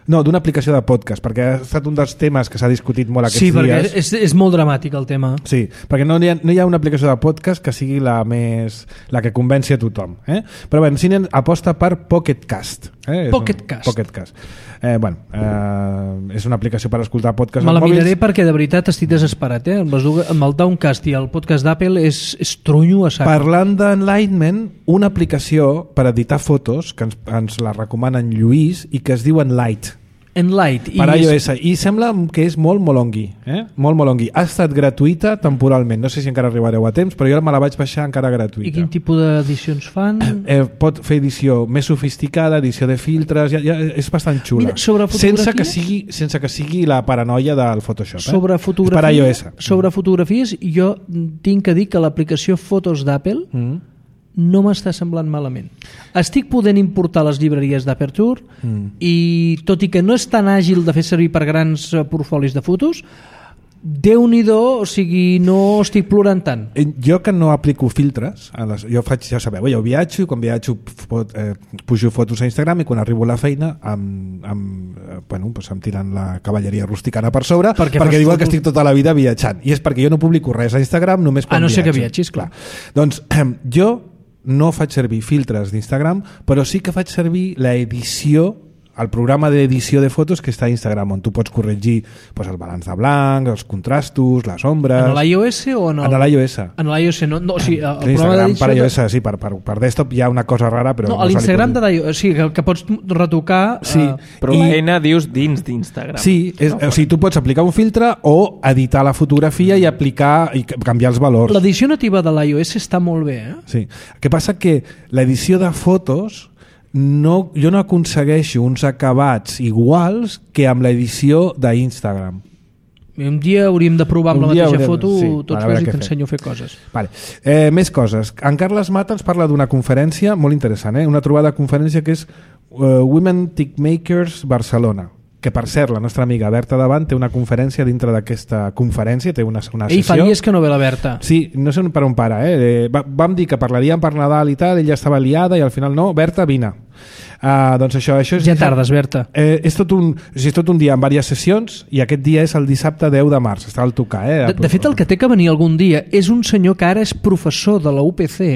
no, d'una aplicació de podcast, perquè ha estat un dels temes que s'ha discutit molt aquests sí, dies. Sí, perquè és, és molt dramàtic el tema. Sí, perquè no hi, ha, no hi ha una aplicació de podcast que sigui la més la que convenci a tothom. Eh? Però bé, Cine aposta per Pocket Cast. Eh? Pocket Cast. Pocket Cast. Eh, bueno, eh, és una aplicació per escoltar podcasts Me la als mòbils. miraré perquè de veritat estic desesperat. Eh? Amb, les, amb el Downcast i el podcast d'Apple és, és trunyo a sac. Parlant d'Enlightenment, una aplicació per editar fotos que ens, ens la recomana en Lluís i que es diu Enlight. Enlight. Per i iOS. I sembla que és molt molongui. Eh? Molt molongui. Ha estat gratuïta temporalment. No sé si encara arribareu a temps, però jo me la vaig baixar encara gratuïta. I quin tipus d'edicions fan? Eh, pot fer edició més sofisticada, edició de filtres, ja, ja és bastant xula. Mira, sobre fotografies? Sense que sigui, sense que sigui la paranoia del Photoshop. Eh? Sobre fotografies, per iOS. sobre fotografies, jo tinc que dir que l'aplicació Fotos d'Apple mm. no m'està semblant malament. Estic podent importar les llibreries d'Aperture mm. i tot i que no és tan àgil de fer servir per grans portfolis de fotos, Déu-n'hi-do, o sigui, no estic plorant tant. Jo que no aplico filtres, a les, jo faig, ja sabeu, jo viatjo, quan viatjo fot, eh, pujo fotos a Instagram i quan arribo a la feina amb, amb, eh, bueno, pues em tiren la cavalleria rusticana per sobre perquè, perquè diuen fotos... que estic tota la vida viatjant. I és perquè jo no publico res a Instagram només quan viatjo. A no viatjo. ser que viatgis, clar. Doncs eh, jo no faig servir filtres d'Instagram, però sí que faig servir l'edició, el programa d'edició de fotos que està a Instagram, on tu pots corregir pues, el balanç de blanc, els contrastos, les ombres... En l'iOS o en el... En l'iOS. En l'iOS, no, no, o sigui, el sí, programa d'edició... Per iOS, de... sí, per, per, per desktop hi ha una cosa rara, però... No, no a l'Instagram pot... de l'iOS, o sigui, que, que pots retocar... Sí. Uh... Però I... la eina dius dins d'Instagram. Sí, és, no? O sigui, tu pots aplicar un filtre o editar la fotografia i aplicar i canviar els valors. L'edició nativa de l'iOS està molt bé, eh? Sí. El que passa que l'edició de fotos... No, jo no aconsegueixo uns acabats iguals que amb l'edició d'Instagram. Un dia hauríem de provar amb un la mateixa haurem... foto sí, tots dos i t'ensenyo a fer coses. Vale. Eh, més coses. En Carles Mata ens parla d'una conferència molt interessant, eh? Una trobada de conferència que és uh, Women Tickmakers Barcelona, que per cert la nostra amiga Berta Davant té una conferència dintre d'aquesta conferència, té una, una sessió. Ell fa dies que no ve la Berta. Sí, no sé per on para, eh? Va, vam dir que parlaríem per Nadal i tal, ella estava liada i al final no, Berta, vine. Uh, doncs això, això és, ja tardes, Berta. Eh, és, tot un, o sigui, és tot un dia amb diverses sessions i aquest dia és el dissabte deu de març, està al tocar. Eh? De, de fet, el que té que venir algun dia és un senyor que ara és professor de la U P C,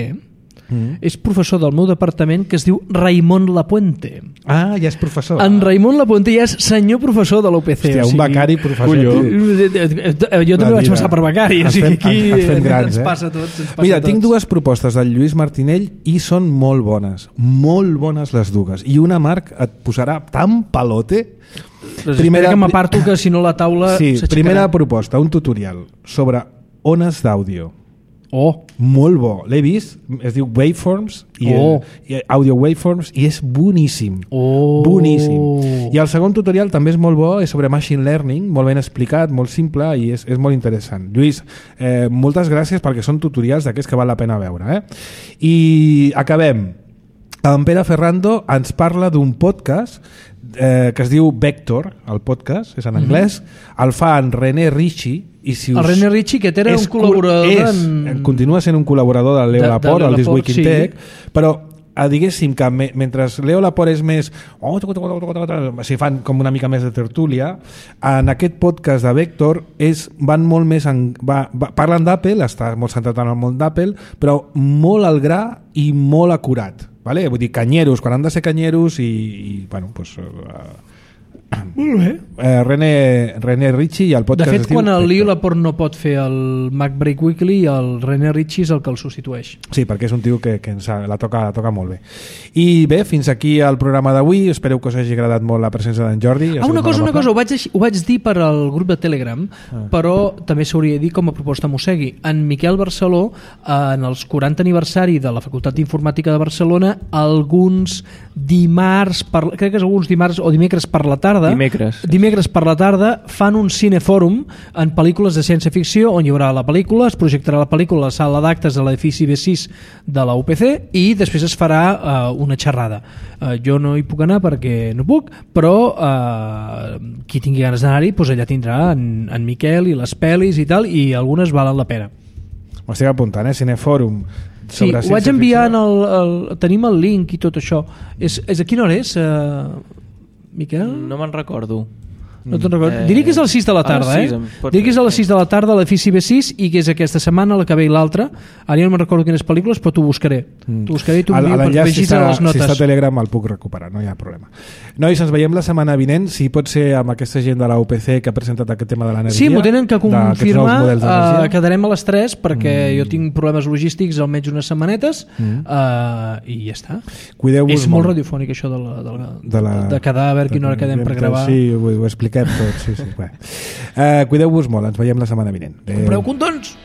mm. és professor del meu departament, que es diu Raimon Lapuente. Ah, ja és professor. En Raimon Lapuente ja és senyor professor de la U P C. Hòstia, un becari professor. Colló. Jo també vaig passar per becari. O sigui, aquí ens fem grans, ens eh? passa a tots. Ens passa Mira, a tots. tinc dues propostes del Lluís Martinell i són molt bones. Molt bones les dues. I una, Marc, et posarà tan palote. Primera que m'aparto, que si no la taula sí, s'aixecarà. Primera proposta, un tutorial sobre ones d'àudio. Oh. Molt bo, l'he vist, es diu Waveforms i, oh. i Audio Waveforms i és boníssim, oh. boníssim. I el segon tutorial també és molt bo, és sobre Machine Learning, molt ben explicat, molt simple i és, és molt interessant. Lluís, eh, moltes gràcies perquè són tutorials d'aquests que val la pena veure. Eh? I acabem. en Pere Ferrando ens parla d'un podcast eh, que es diu Vector, el podcast, és en anglès, mm-hmm. el fa en René Ritchie. I si us... El René Ritchie, que era un col·laborador... És, en... Continua sent un col·laborador del Leo de, Laporte, al This Week in Tech, sí. Però eh, diguéssim que me, mentre Leo Laporte és més... Oh, si fan com una mica més de tertúlia, en aquest podcast de Vector és, van molt més... En, va, va, parlen d'Apple, està molt centrat en el món d'Apple, però molt al gra i molt acurat. Vale? Vull dir, canyeros, quan han de ser canyeros i, i bueno, doncs... Uh, molt bé. Eh, René, René Ritchie i el podcast... De fet, quan el Leo Laporte no pot fer el MacBreak Weekly, el René Ritchie és el que el substitueix. Sí, perquè és un tio que, que ens ha, la, toca, la toca molt bé. I bé, fins aquí el programa d'avui. Espero que us hagi agradat molt la presència d'en Jordi. Ah, una cosa, una cosa, ho vaig, ho vaig dir per al grup de Telegram, ah. però també s'hauria de dir com a proposta Mossegui. En Miquel Barceló, en els quaranta aniversari de la Facultat d'Informàtica de Barcelona, alguns dimarts, per, crec que és alguns dimarts o dimecres per la tarda, Dimecres. Dimecres per la tarda fan un cinefòrum en pel·lícules de ciència-ficció on hi haurà la pel·lícula, es projectarà la pel·lícula a la sala d'actes de l'edifici B sis de la U P C i després es farà uh, una xerrada. Uh, jo no hi puc anar perquè no puc, però uh, qui tingui ganes d'anar-hi, doncs allà tindrà en, en Miquel i les pel·lis i tal, i algunes valen la pena. M'ho estic apuntant, eh? Cinefòrum. Sí, ho vaig enviar en el, el... Tenim el link i tot això. És, és a quina hora és, uh... Miquel? No me'n recordo. No te'n recordo. Eh... Diria que és a les sis de la tarda, sis, eh? Diria que és a les sis de la tarda a l'edifici B sis i que és aquesta setmana la que ve i l'altra. Ara ja no me'n recordo quines pel·lícules, però t'ho buscaré. Mm. T'ho buscaré i t'ho envio per vegis a les notes. Si està a Telegram el puc recuperar, no hi ha problema. Nois, ens veiem la setmana vinent, si pot ser amb aquesta gent de la U P C que ha presentat aquest tema de l'energia. Sí, m'ho tenen que confirmar, uh, quedarem a les tres perquè mm. jo tinc problemes logístics almenys unes setmanetes mm. uh, i ja està. Cuideu-vos És molt, molt radiofònic això de, la, de, la, de, la, de quedar a veure quina hora quedem per gravar. Sí, ho, ho expliquem tot, sí, sí. Uh, cuideu-vos molt, ens veiem la setmana vinent. Compreu condons!